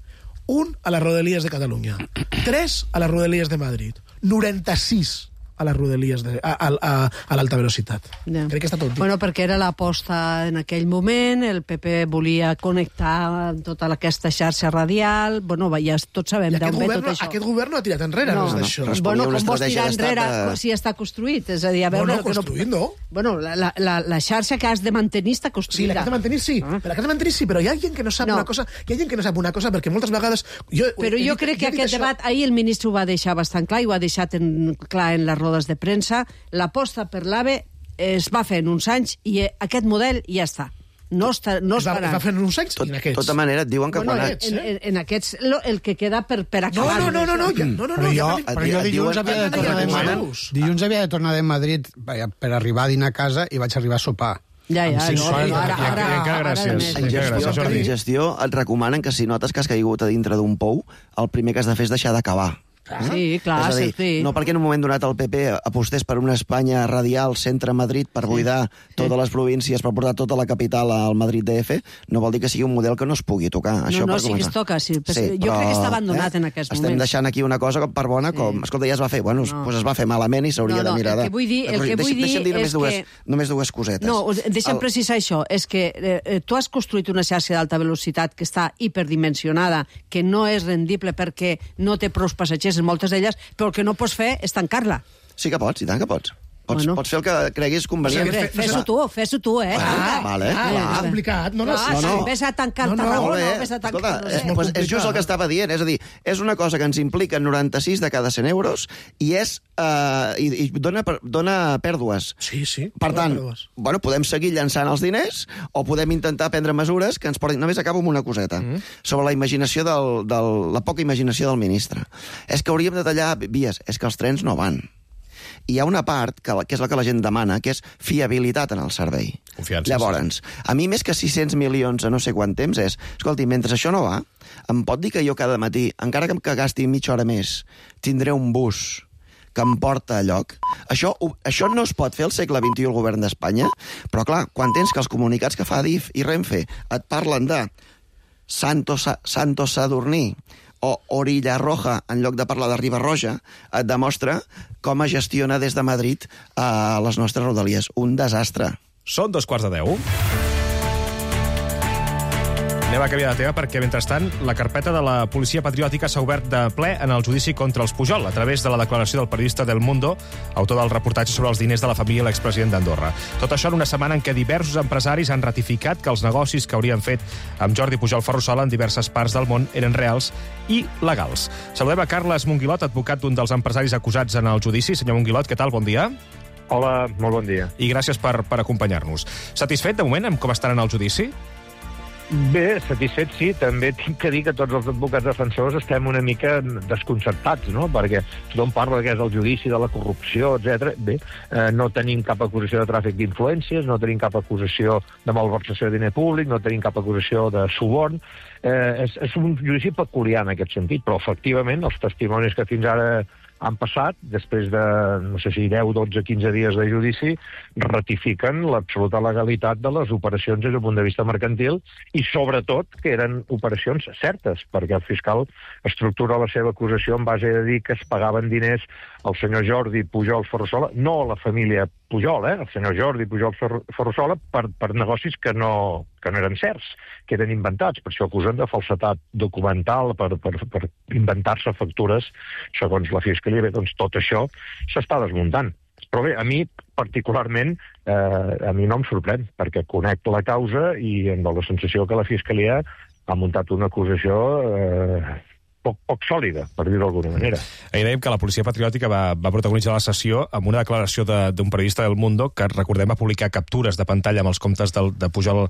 un a les Rodalies de Catalunya, tres a les Rodalies de Madrid, noranta-sis a les Rodalies de, a, a, a, a l'alta velocitat. Ja. Crec que està tot dit. Bueno, perquè era l'aposta en aquell moment, el P P volia connectar tota aquesta xarxa radial, bueno, ja tots sabem d'on ve tot això. Aquest govern no ha tirat enrere no, res d'això. No, bueno, com vols tirar enrere de... si està construït? És a dir, a veure... No, no, construït no. Bueno, la, la, la xarxa que has de mantenir està construïda. Sí, la que has de mantenir sí, ah. però la que has de mantenir sí, però hi ha gent que no sap no. una cosa, hi ha gent que no sap una cosa, perquè moltes vegades... Jo, però jo crec que aquest debat, ahir el ministre ho va deixar bastant clar, i ho ha deixat en, clar en les rodes de premsa. L'aposta per l'AVE es va fer en uns anys i aquest model ja està. No està, no es, va, farà. es va fer en uns anys Tot, i en aquests. De tota manera, et diuen que bueno, quan... En, en, en aquests, lo, el que queda per, per acabar... No, no, no, no, ja, no, no, però jo, no, però jo dilluns havia de tornar de Madrid, dilluns havia de tornar de Madrid per arribar a dinar a casa i vaig arribar a sopar. Ja, ja, no, ara, ara, ara, ara, gràcies. En gestió, en gestió et recomanen que si notes que has caigut a dintre d'un pou, el primer que has de fer és deixar d'acabar. Sí, clar, és a dir, sí. no perquè en un moment donat el P P apostés per una Espanya radial centre-Madrid per buidar sí. totes les províncies, per portar tota la capital al Madrid D F, no vol dir que sigui un model que no es pugui tocar. No, Això no, per sí que es toca, sí. sí jo però, crec que està abandonat eh? en aquests Estem moments. Estem deixant aquí una cosa per bona, com, sí. escolta, ja es va fer. Bueno, no. pues es va fer malament i s'hauria no, no, de mirar de... El que vull dir, el que vull dir deixa'm dir només, és dues, que... només dues cosetes. No, deixa'm el... precisar això. És que eh, tu has construït una xarxa d'alta velocitat que està hiperdimensionada, que no és rendible perquè no té prou passatgers en moltes d'elles, però el que no pots fer és tancar-la. Sí que pots, i tant que pots. Pots, Bueno. pots fer el que creguis convenient. Sempre, fes-ho tu, fes-ho tu, eh? Ah, vale, ah, clar. ah, complicat, no, no, no, no, no. Vés a tancar No, no, Tarragona, molt bé. vés a tancar... Escolta, no és, sé. pues, és just el que estava dient. És a dir, és una cosa que ens implica noranta-sis de cada cent euros i és uh, i, i dona, dona pèrdues. Sí, sí. Per tant, bueno, podem seguir llançant els diners o podem intentar prendre mesures que ens portin... Només acabo amb una coseta. Mm. Sobre la imaginació del, del, la poca imaginació del ministre. És que hauríem de tallar vies. És que els trens no van. I hi ha una part, que, que és la que la gent demana, que és fiabilitat en el servei. Confiança. Llavors, a mi més que sis-cents milions a no sé quant temps és, escolti, mentre això no va, em pot dir que jo cada matí, encara que, que gasti mitja hora més, tindré un bus que em porta a lloc. Això, això no es pot fer al segle vint-i-u al govern d'Espanya, però clar, quan tens que els comunicats que fa D I F i Renfe et parlen de Santo, Sa, Santo Sadurní o Orilla Roja, en lloc de parlar de Riba-roja, et demostra com es gestiona des de Madrid a les nostres rodalies. Un desastre. Són dos quarts de deu. Anem a canviar de tema perquè, mentrestant, la carpeta de la policia patriòtica s'ha obert de ple en el judici contra els Pujol, a través de la declaració del periodista del Mundo, autor del reportatge sobre els diners de la família de l'expresident d'Andorra. Tot això en una setmana en què diversos empresaris han ratificat que els negocis que haurien fet amb Jordi Pujol Ferrusola en diverses parts del món eren reals i legals. Saludem a Carles Monguilot, advocat d'un dels empresaris acusats en el judici. Senyor Monguilot, què tal? Bon dia. Hola, molt bon dia. I gràcies per, per acompanyar-nos. Satisfet, de moment, amb com estaran el judici? Bé, satisfet sí, també tinc que dir que tots els advocats defensors estem una mica desconcertats, no? Perquè tothom parla que és el judici de la corrupció, etcètera. Bé, eh, no tenim cap acusació de tràfic d'influències, no tenim cap acusació de malversació de diner públic, no tenim cap acusació de suborn. Eh, és, és un judici peculiar en aquest sentit, però efectivament els testimonis que fins ara han passat, després de, no sé si deu, dotze, quinze dies de judici, ratifiquen l'absoluta legalitat de les operacions des del punt de vista mercantil i, sobretot, que eren operacions certes, perquè el fiscal estructura la seva acusació en base a dir que es pagaven diners al senyor Jordi Pujol Ferrusola, no a la família Pujol, eh? El senyor Jordi Pujol Ferrusola, per, per negocis que no, que no eren certs, que eren inventats. Per això acusen de falsetat documental, per, per, per inventar-se factures, segons la Fiscalia. Bé, doncs tot això s'està desmuntant. Però bé, a mi, particularment, eh, a mi no em sorprèn, perquè conec la causa i em dóna la sensació que la Fiscalia ha muntat una acusació eh, poc, poc sòlida, per dir-ho d'alguna manera. Ahir dèiem que la policia patriòtica va, va protagonitzar la sessió amb una declaració d'un periodista del Mundo que, recordem, va publicar captures de pantalla amb els comptes de, de Pujol a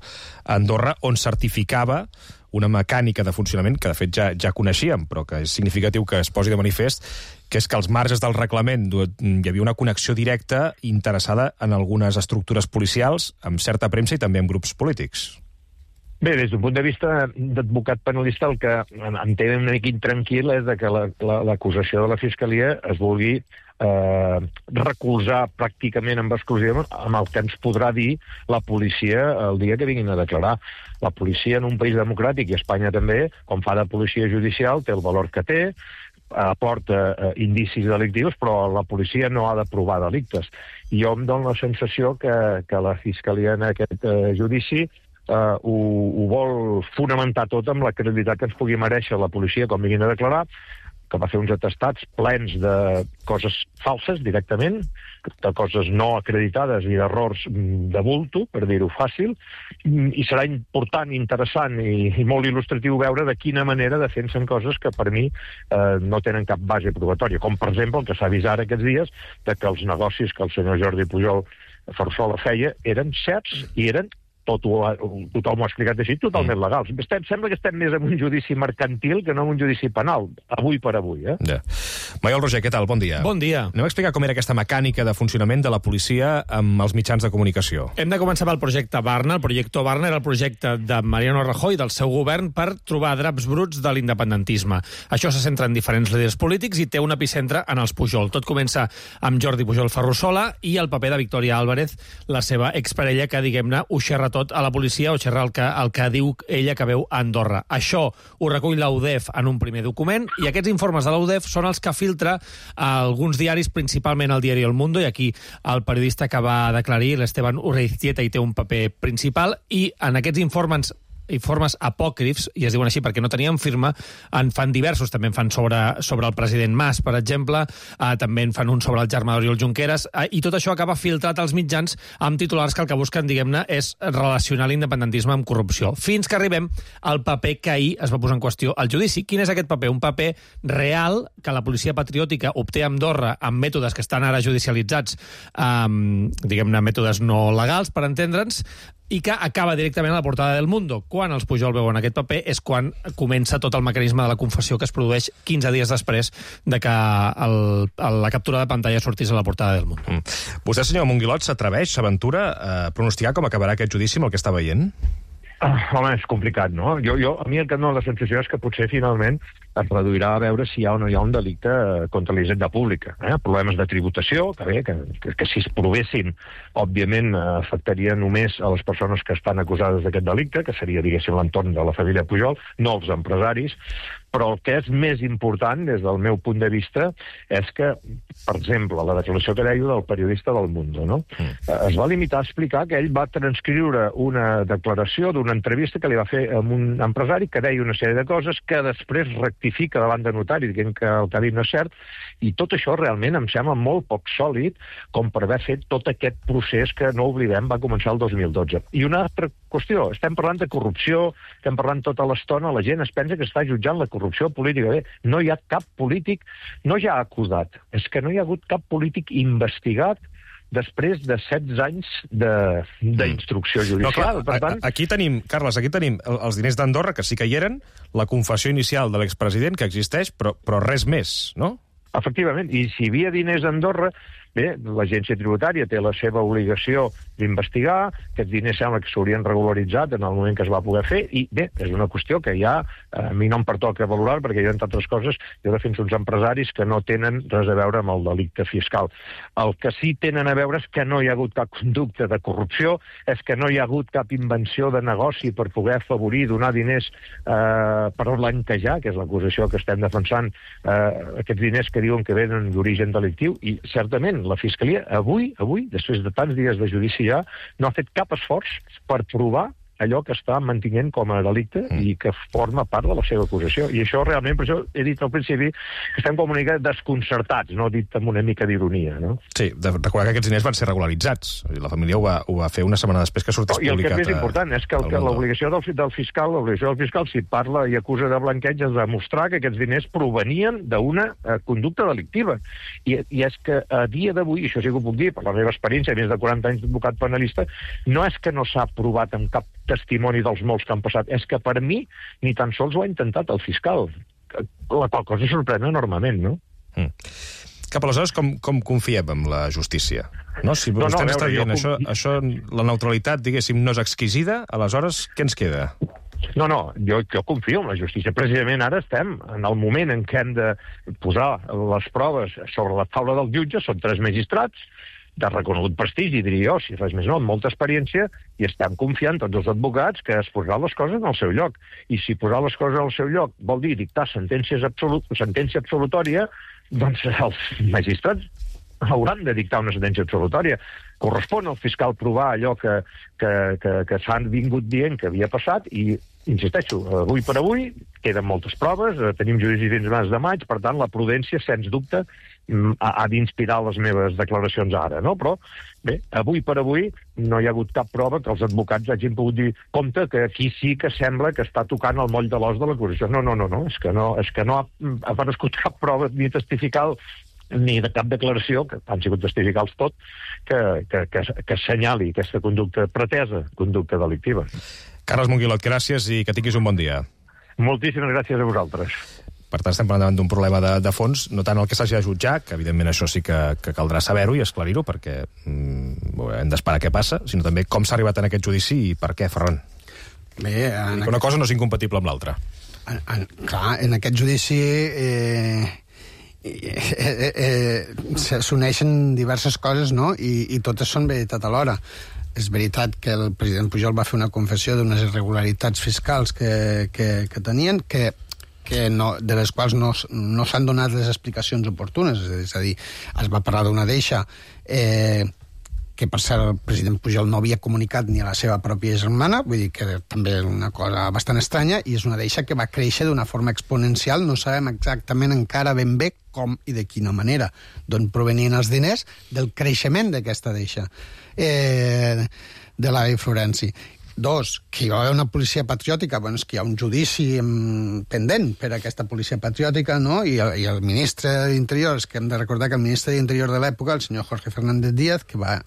Andorra, on certificava una mecànica de funcionament que, de fet, ja, ja coneixíem, però que és significatiu que es posi de manifest, que és que als marges del reglament hi havia una connexió directa interessada en algunes estructures policials, amb certa premsa i també amb grups polítics. Bé, des d'un punt de vista d'advocat penalista, el que em té una mica intranquil és de que l'acusació la, de la Fiscalia es vulgui eh, recolzar pràcticament amb exclusiva amb el que ens podrà dir la policia el dia que vinguin a declarar. La policia en un país democràtic, i Espanya també, com fa de policia judicial, té el valor que té, aporta eh, indicis delictius, però la policia no ha de provar delictes. I jo em dono la sensació que, que la Fiscalia en aquest eh, judici Uh, ho, ho vol fonamentar tot amb la credibilitat que ens pugui mereixer la policia com vinguin a declarar, que va fer uns atestats plens de coses falses directament, de coses no acreditades i d'errors de bulto, per dir-ho fàcil, i serà important, interessant i, i molt il·lustratiu veure de quina manera defensen coses que per mi eh, no tenen cap base probatòria, com per exemple el que s'ha vist ara aquests dies, de que els negocis que el senyor Jordi Pujol Ferrusola feia eren certs i eren tot ho, tothom ho ha explicat així, totalment legals. Estem, sembla que estem més en un judici mercantil que no en un judici penal, avui per avui. Eh? Ja. Maiol Roger, què tal? Bon dia. Bon dia. Anem a explicar com era aquesta mecànica de funcionament de la policia amb els mitjans de comunicació. Hem de començar pel projecte Barna. El projecte Barna era el projecte de Mariano Rajoy, del seu govern, per trobar draps bruts de l'independentisme. Això se centra en diferents líders polítics i té un epicentre en els Pujol. Tot comença amb Jordi Pujol Ferrusola i el paper de Victoria Álvarez, la seva exparella, que, diguem-ne, ho xerra tot a la policia o xerrar el que, el que diu ella que veu a Andorra. Això ho recull l'U D E F en un primer document i aquests informes de l'U D E F són els que filtra a alguns diaris, principalment el diari El Mundo, i aquí el periodista que va declarir, l'Esteban Urreiztieta, hi té un paper principal, i en aquests informes informes apòcrifs, i es diuen així perquè no tenien firma, en fan diversos, també en fan sobre, sobre el president Mas, per exemple, eh, també en fan un sobre el germà d'Oriol Junqueras, eh, i tot això acaba filtrat als mitjans amb titulars que el que busquen, diguem-ne, és relacionar l'independentisme amb corrupció. Fins que arribem al paper que ahir es va posar en qüestió al judici. Quin és aquest paper? Un paper real que la policia patriòtica obté a Andorra amb mètodes que estan ara judicialitzats, eh, diguem-ne, mètodes no legals, per entendre'ns, i que acaba directament a la portada del Mundo. Quan els Pujol veuen aquest paper és quan comença tot el mecanisme de la confessió que es produeix quinze dies després de que el, la captura de pantalla sortís a la portada del Mundo. Mm. Vostè, senyor Monguilot, s'atreveix, s'aventura a pronosticar com acabarà aquest judici amb el que està veient? Ah, home, és complicat, no? Jo, jo, a mi el que em dóna la sensació és que potser finalment es reduirà a veure si hi ha o no hi ha un delicte contra la hisenda pública. Eh? Problemes de tributació, que bé, que, que, que si es provessin, òbviament afectaria només a les persones que estan acusades d'aquest delicte, que seria, diguéssim, l'entorn de la família Pujol, no els empresaris, però el que és més important, des del meu punt de vista, és que, per exemple, la declaració que deia del periodista del Mundo, no? Mm. Es va limitar a explicar que ell va transcriure una declaració d'una entrevista que li va fer a un empresari que deia una sèrie de coses que després rectifica davant de notari, dient que el que ha dit no és cert, i tot això realment em sembla molt poc sòlid com per haver fet tot aquest procés que, no oblidem, va començar el dos mil dotze. I una altra qüestió, estem parlant de corrupció, estem parlant tota l'estona, la gent es pensa que està jutjant la corrupció política. Bé, no hi ha cap polític, no ja acudat, és que no hi ha hagut cap polític investigat després de setze anys d'instrucció judicial. No, clar, per tant... Aquí tenim, Carles, aquí tenim els diners d'Andorra, que sí que hi eren, la confessió inicial de l'expresident, que existeix, però, però res més, no? Efectivament, i si hi havia diners a Andorra, bé, l'agència tributària té la seva obligació d'investigar, aquests diners sembla que s'haurien regularitzat en el moment que es va poder fer, i bé, és una qüestió que ja a mi no em pertoca valorar, perquè jo, entre altres coses, jo defenso uns empresaris que no tenen res a veure amb el delicte fiscal. El que sí tenen a veure és que no hi ha hagut cap conducte de corrupció, és que no hi ha hagut cap invenció de negoci per poder afavorir, donar diners eh, per blanquejar, que és l'acusació que estem defensant, eh, aquests diners que diuen que venen d'origen delictiu, i certament la Fiscalia avui, avui, després de tants dies de judici ja, no ha fet cap esforç per provar allò que està mantenint com a delicte mm. i que forma part de la seva acusació. I això realment, per això he dit al principi que estem com una mica desconcertats, no dit amb una mica d'ironia, no? Sí, de recordar que aquests diners van ser regularitzats. La família ho va, ho va fer una setmana després que sortís publicat. I el que és més a... important és que l'obligació del, del fiscal, l'obligació del fiscal, si parla i acusa de blanqueig, és demostrar que aquests diners provenien d'una eh, conducta delictiva. I, I és que a dia d'avui, això sí que ho puc dir, per la meva experiència, més de quaranta anys d'advocat penalista, no és que no s'ha provat amb cap testimoni dels molts que han passat, és que per mi ni tan sols ho ha intentat el fiscal. La qual cosa sorprèn enormement, no? Mm. Cap aleshores, com, com confiem en la justícia? No? Si no, vostè no, m'està dient com... això, això, la neutralitat, diguéssim, no és exquisida, aleshores, què ens queda? No, no, jo, jo confio en la justícia. Precisament ara estem en el moment en què hem de posar les proves sobre la taula del jutge, són tres magistrats, de reconegut prestigi, diria jo, si res més no, amb molta experiència, i estem confiant tots els advocats que es posaran les coses en el seu lloc. I si posar les coses al seu lloc vol dir dictar sentències absolut, sentència absolutòria, doncs els magistrats hauran de dictar una sentència absolutòria. Correspon al fiscal provar allò que, que, que, que s'han vingut dient que havia passat i, insisteixo, avui per avui queden moltes proves, tenim judici fins al mes de maig, per tant, la prudència, sens dubte, ha, ha d'inspirar les meves declaracions ara, no? Però, bé, avui per avui no hi ha hagut cap prova que els advocats hagin pogut dir compte que aquí sí que sembla que està tocant el moll de l'os de l'acusació. No, no, no, no, és que no, és que no ha aparegut cap prova ni testifical ni de cap declaració, que han sigut testificals tot, que, que, que, que assenyali aquesta conducta pretesa, conducta delictiva. Carles Monguilot, gràcies i que tinguis un bon dia. Moltíssimes gràcies a vosaltres. Per tant, estem parlant davant d'un problema de, de fons, no tant el que s'hagi de jutjar, que evidentment això sí que, que caldrà saber-ho i esclarir-ho, perquè mm, hem d'esperar què passa, sinó també com s'ha arribat en aquest judici i per què, Ferran. Bé, en una aquest... cosa no és incompatible amb l'altra. En, en, clar, en aquest judici eh, eh, eh, eh, s'uneixen diverses coses, no? I, i totes són veritat alhora. És veritat que el president Pujol va fer una confessió d'unes irregularitats fiscals que, que, que tenien, que, que no, de les quals no, no s'han donat les explicacions oportunes. És a dir, es va parlar d'una deixa eh, que per cert el president Pujol no havia comunicat ni a la seva pròpia germana, vull dir que també és una cosa bastant estranya, i és una deixa que va créixer d'una forma exponencial, no sabem exactament encara ben bé com i de quina manera, d'on provenien els diners, del creixement d'aquesta deixa eh, de l'avi Florenci. Dos, que hi va haver una policia patriòtica, bueno, és que hi ha un judici pendent per a aquesta policia patriòtica, no? I el, i el ministre d'Interior, és que hem de recordar que el ministre d'Interior de l'època, el senyor Jorge Fernández Díaz, que va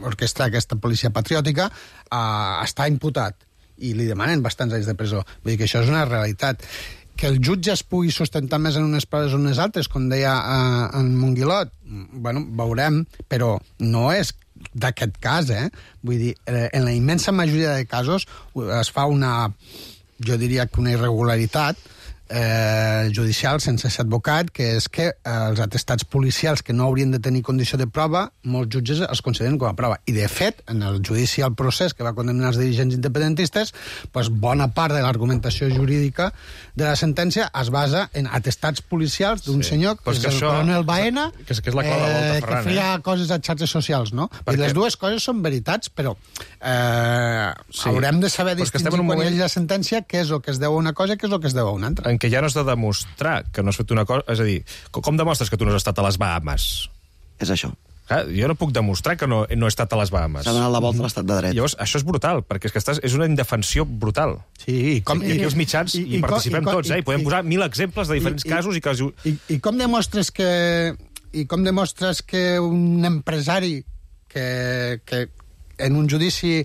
orquestrar aquesta policia patriòtica, uh, està imputat i li demanen bastants anys de presó. Vull dir que això és una realitat. Que el jutge es pugui sustentar més en unes proves o en unes altres, com deia uh, en Monguilot, bueno, veurem, però no és d'aquest cas, eh? Vull dir, en la immensa majoria de casos es fa una, jo diria que una irregularitat eh, judicial sense ser advocat, que és que eh, els atestats policials que no haurien de tenir condició de prova, molts jutges els consideren com a prova. I, de fet, en el judici al procés que va condemnar els dirigents independentistes, pues, bona part de l'argumentació jurídica de la sentència es basa en atestats policials d'un sí. senyor, que és, és el això, coronel Baena, que és, que és la clau de volta, Ferran, que feia eh? coses a xarxes socials, no? I les dues coses són veritats, però eh, sí. haurem de saber distingir quan moment... hi hagi la sentència què és el que es deu a una cosa i què és el que es deu a una altra. En què ja no has de demostrar que no has fet una cosa... És a dir, com demostres que tu no has estat a les Bahamas? És això. Clar, jo no puc demostrar que no, no he estat a les Bahamas. S'ha donat la volta a l'estat de dret. Llavors, això és brutal, perquè és que estàs, és una indefensió brutal. Sí, i com... I aquí els mitjans i, i, hi participem i, i, tots, eh? I podem i, posar mil exemples de diferents i, casos i que... I, i com demostres que... I com demostres que un empresari que, que en un judici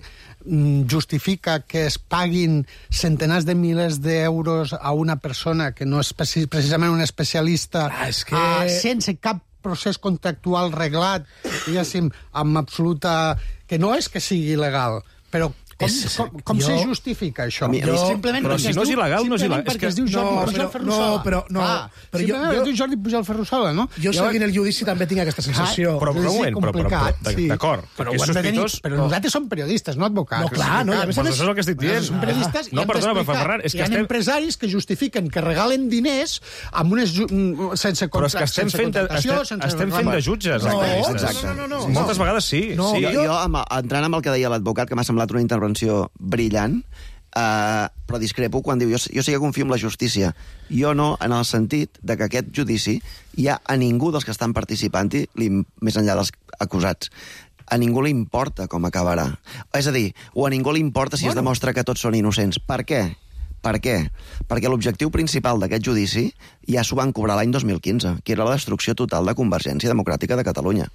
justifica que es paguin centenars de milers d'euros a una persona que no és precisament un especialista, ah, és que... uh, sense cap procés contractual reglat, diguéssim, amb absoluta... que no és que sigui il·legal, però com, és, com, com jo... se justifica això? Mi, jo, simplement però si no és il·legal, no és il·legal. Simplement perquè es diu Jordi no, Pujol però, Ferrusola. No, però... No, ah, però simplement jo, es diu Jordi Pujol Ferrusola, no? Jo seguint el judici també tinc aquesta sensació. Ah, però, però, moment, però, però, però, sí. d'acord. Però, és sospitós, però no. Nosaltres som periodistes, no advocats. No, clar, no, ja més, això és el que estic dient. Som periodistes ah, no, perdona, però Ferran, és que hi ha estem... empresaris que justifiquen que regalen diners amb unes... sense però és que estem fent de, estem, estem fent de jutges. No, exacte. No, no, no. Moltes vegades sí. No, sí. Jo, jo, entrant amb el que deia l'advocat, que m'ha semblat una intervenció brillant, Uh, però discrepo quan diu jo, jo sí que confio en la justícia. Jo no, en el sentit de que aquest judici hi ha a ningú dels que estan participant-hi, més enllà dels acusats, a ningú li importa com acabarà. És a dir, o a ningú li importa si bueno. es demostra que tots són innocents. Per què? Per què? Perquè l'objectiu principal d'aquest judici ja s'ho van cobrar l'any dos mil quinze, que era la destrucció total de Convergència Democràtica de Catalunya,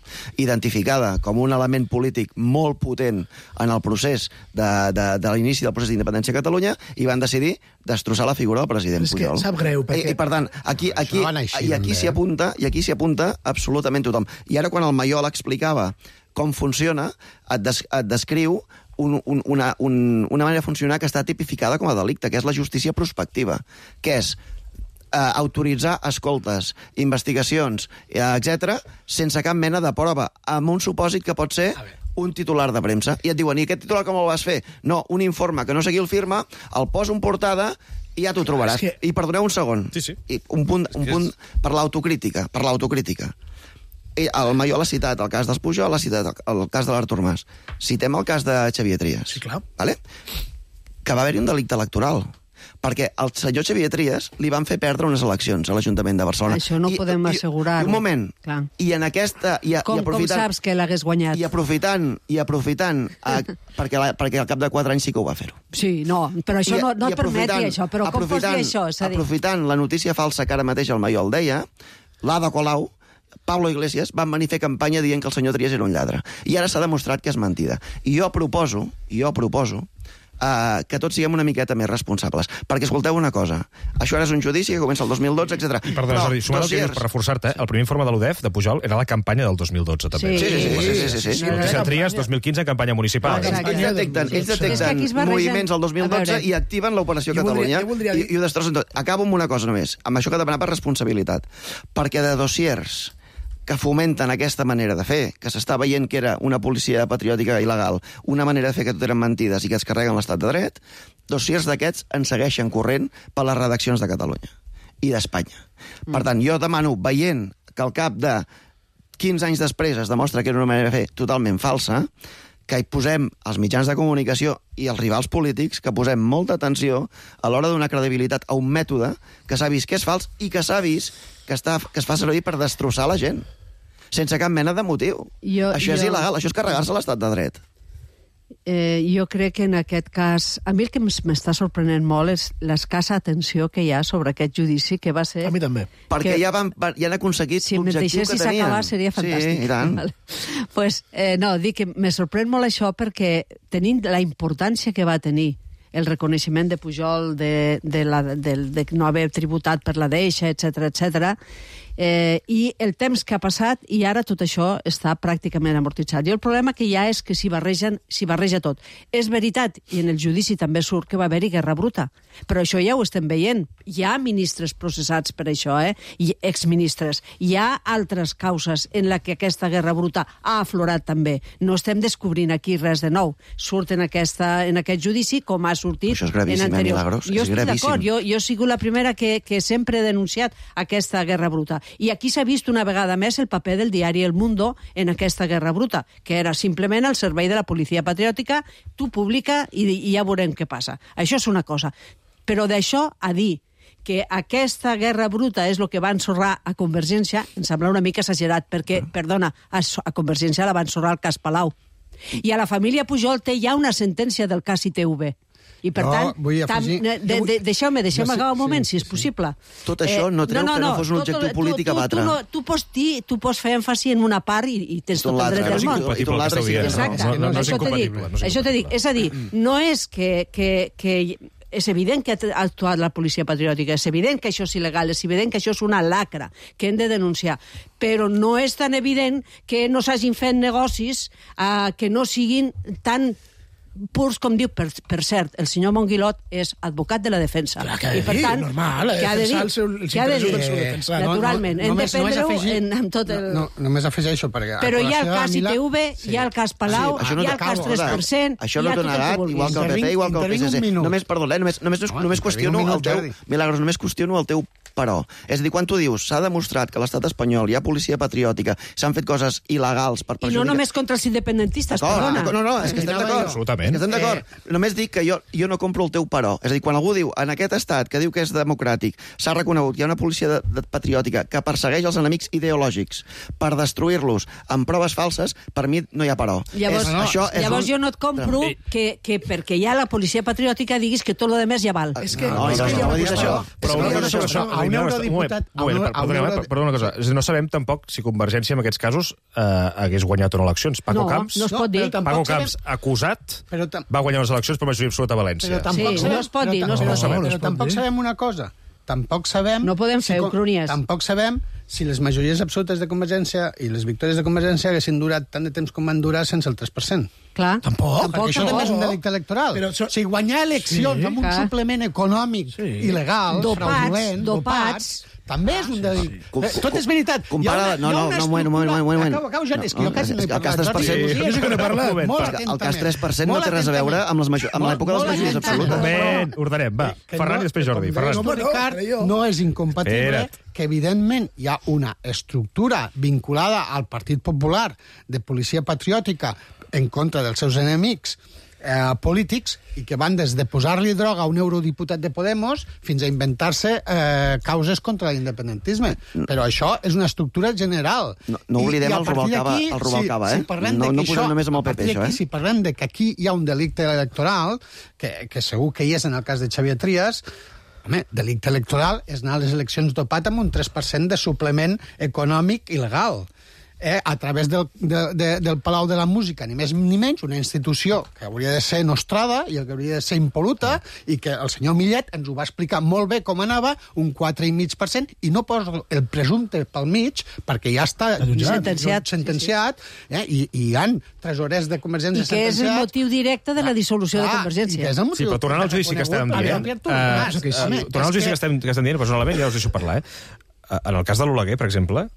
identificada com un element polític molt potent en el procés de, de, de l'inici del procés d'independència a Catalunya, i van decidir destrossar la figura del president Pujol. Sap greu, perquè... I, i per tant, aquí, aquí, així, i aquí s'hi apunta, i aquí s'hi apunta absolutament tothom. I ara quan el Mayol explicava com funciona, et, des, et descriu Un, un, una, un, una manera de funcionar que està tipificada com a delicte, que és la justícia prospectiva, que és eh, autoritzar escoltes, investigacions, eh, etcètera, sense cap mena de prova, amb un supòsit que pot ser un titular de premsa. I et diuen, i aquest titular com el vas fer? No, un informe que no sé qui el firma, el poso en portada i ja t'ho trobaràs. Que... I perdoneu un segon. Sí, sí. I un punt, un punt per l'autocrítica, per l'autocrítica. El Mayol ha citat el cas dels Pujol, ha citat el cas de l'Artur Mas. Citem el cas de Xavier Trias. Sí, clar. Vale? Que va haver-hi un delicte electoral. Perquè al senyor Xavier Trias li van fer perdre unes eleccions a l'Ajuntament de Barcelona. Això no I, podem assegurar. I, un moment. Clar. I en aquesta... I, com, i aprofitant, com saps que l'hagués guanyat? I aprofitant, i aprofitant a, perquè, la, perquè al cap de quatre anys sí que ho va fer-ho. Sí, no, però això I, no, no et permeti això. Però com pots dir això? Aprofitant la notícia falsa que ara mateix el Mayol deia, l'Ada Colau, Pablo Iglesias van venir a fer campanya dient que el senyor Trias era un lladre. I ara s'ha demostrat que és mentida. I jo proposo, i jo proposo, uh, que tots siguem una miqueta més responsables. Perquè, escolteu una cosa, això ara és un judici que comença el dos mil dotze, etcètera. I perdona, Jordi, sumant el que dius, per reforçar-te, el primer informe de l'U D E F, de Pujol, era la campanya del dos mil dotze, també. Sí, sí, sí. sí, sí, sí, sí. Notícia Trias, dos mil quinze, campanya municipal. Ells detecten, ells detecten moviments al dos mil dotze i activen l'Operació Catalunya i, i ho destrossen tot. Acabo amb una cosa només, amb això que demanava responsabilitat. Perquè de dossiers que fomenten aquesta manera de fer, que s'està veient que era una policia patriòtica il·legal, una manera de fer que tot eren mentides i que es carreguen l'estat de dret, dossiers d'aquests en segueixen corrent per les redaccions de Catalunya i d'Espanya. Mm. Per tant, jo demano, veient que al cap de quinze anys després es demostra que era una manera de fer totalment falsa, que hi posem els mitjans de comunicació i els rivals polítics, que posem molta atenció a l'hora de donar credibilitat a un mètode que s'ha vist que és fals i que s'ha vist que, està, que es fa servir per destrossar la gent, sense cap mena de motiu. Jo, això és jo... il·legal, això és carregar-se l'estat de dret. Eh, jo crec que en aquest cas... A mi el que m'està sorprenent molt és l'escassa atenció que hi ha sobre aquest judici, que va ser... A mi també. Perquè que... ja, van, ja han aconseguit si l'objectiu que tenien. Si s'acabar seria fantàstic. Sí, i tant. Vale. Pues, eh, no, dic que me sorprèn molt això perquè tenint la importància que va tenir el reconeixement de Pujol de, de, la, de, de no haver tributat per la deixa, etcètera, etcètera, eh, i el temps que ha passat i ara tot això està pràcticament amortitzat. I el problema que hi ha és que s'hi barregen, s'hi barreja tot. És veritat, i en el judici també surt que va haver-hi guerra bruta, però això ja ho estem veient. Hi ha ministres processats per això, eh? I exministres. Hi ha altres causes en la que aquesta guerra bruta ha aflorat també. No estem descobrint aquí res de nou. Surt en, aquesta, en aquest judici com ha sortit això és gravíssim, en anterior. Milagros, jo és estic d'acord, gravíssim. jo, jo he sigut la primera que, que sempre he denunciat aquesta guerra bruta. I aquí s'ha vist una vegada més el paper del diari El Mundo en aquesta guerra bruta, que era simplement al servei de la policia patriòtica, tu publica i, i ja veurem què passa. Això és una cosa. Però d'això a dir que aquesta guerra bruta és el que va ensorrar a Convergència, em sembla una mica exagerat, perquè, perdona, a, a Convergència la va ensorrar el cas Palau. I a la família Pujol té ja una sentència del cas I T V. I, per no, tant, afegir... tam, de, de, deixeu-me, deixeu-me sí, acabar un moment, sí, si és possible. Tot això no treu no, no, que no fos un objectiu tu, polític tu, a batre. Tu, no, tu, pots dir, tu pots fer èmfasi en una part i, i tens tot el dret del món. I tot l'altre sí. Exacte, no, no, no és això t'he dit. Això t'he dit. És a dir, no és que... que, que és evident que ha actuat la policia patriòtica, és evident que això és il·legal, és evident que això és una lacra que hem de denunciar, però no és tan evident que no s'hagin fet negocis eh, que no siguin tan purs, com diu, per, per cert, el senyor Monguilot és advocat de la defensa. Clar, que ha de I per dir, tant, normal, que ha de dir, el seu, els que ha de dir, del seu defensor. naturalment, no, no, hem de només, prendre-ho només afegir, en, amb tot el... No, no, només afegeixo, perquè... Però hi ha el a cas I T V, sí. hi ha el cas Palau, sí, hi ha el cas tres per cent, això hi no ha t'ho tot el negat, que vulguis. igual que el P P, igual que el P S C. Només, perdó, eh, només, només, no, només qüestiono el teu... Milagros, només qüestiono el teu però. És a dir, quan tu dius s'ha demostrat que a l'estat espanyol hi ha policia patriòtica, s'han fet coses il·legals per perjudicar... I no només contra els independentistes, perdona. No, no, és que estem d'acord. Absolutament. És que estem d'acord. Eh... Només dic que jo, jo no compro el teu però. És a dir, quan algú diu, en aquest estat que diu que és democràtic, s'ha reconegut que hi ha una policia de, de patriòtica que persegueix els enemics ideològics per destruir-los amb proves falses, per mi no hi ha però. Llavors, és, no, això és llavors un... jo no et compro no. que, que perquè hi ha la policia patriòtica diguis que tot el demés ja val. És que, no, és no, que no, ja no, no, no, això. Però una cosa sobre això, a un eurodiputat... Perdona una cosa, no sabem tampoc si Convergència en aquests casos eh, hagués guanyat o no eleccions. Paco no, Camps, no es pot dir. Paco Camps, acusat, va guanyar les eleccions per majoria absoluta a València. Sí, no es pot dir, no es pot dir. Però tampoc sabem una cosa. Tampoc sabem... No podem fer ucronies. Tampoc sabem si les majories absolutes de Convergència i les victòries de Convergència haguessin durat tant de temps com van durar sense el tres per cent. Clar. Tampoc, tampoc perquè això també és un delicte electoral. Però so... Si guanyar eleccions sí, amb un clar. suplement econòmic sí. il·legal, dopats, fraudulent, dopats, dopats també és un delicte. Com, Tot és veritat. Compara... No, no, no, moment, moment, moment, moment. Acabo, acabo, Joan, és que jo quasi no he parlat. El cas tres per cent... El cas tres per cent no té res a veure amb l'època de les majories absolutes. Moment, ordenem, va. Ferran i després Jordi. Ferran. No és incompatible que, evidentment, hi ha una estructura vinculada al Partit Popular de policia patriòtica en contra dels seus enemics eh, polítics i que van des de posar-li droga a un eurodiputat de Podemos fins a inventar-se eh, causes contra l'independentisme. Però això és una estructura general. No, no oblidem I, i el Rubalcaba, el Rubalcaba, si, eh? Si no no això, posem només amb el P P, això, eh? Si parlem de que aquí hi ha un delicte electoral, que, que segur que hi és en el cas de Xavier Trias, home, delicte electoral és anar a les eleccions dopat amb un tres per cent de suplement econòmic il·legal. Eh, a través del, de, de, del Palau de la Música, ni més ni menys, una institució que hauria de ser nostrada i que hauria de ser impoluta, i que el senyor Millet ens ho va explicar molt bé com anava, un quatre coma cinc per cent, i no posa el presumpte pel mig, perquè ja està sentenciat, sentenciat sí, sí. Eh, i, i hi ha tresorers de Convergència i que és el motiu directe de la dissolució ah, de Convergència. Sí, però tornant al judici que estàvem dient, tornant al judici que estem dient, personalment, ja us deixo parlar, eh? En el cas de l'Oleguer, per exemple,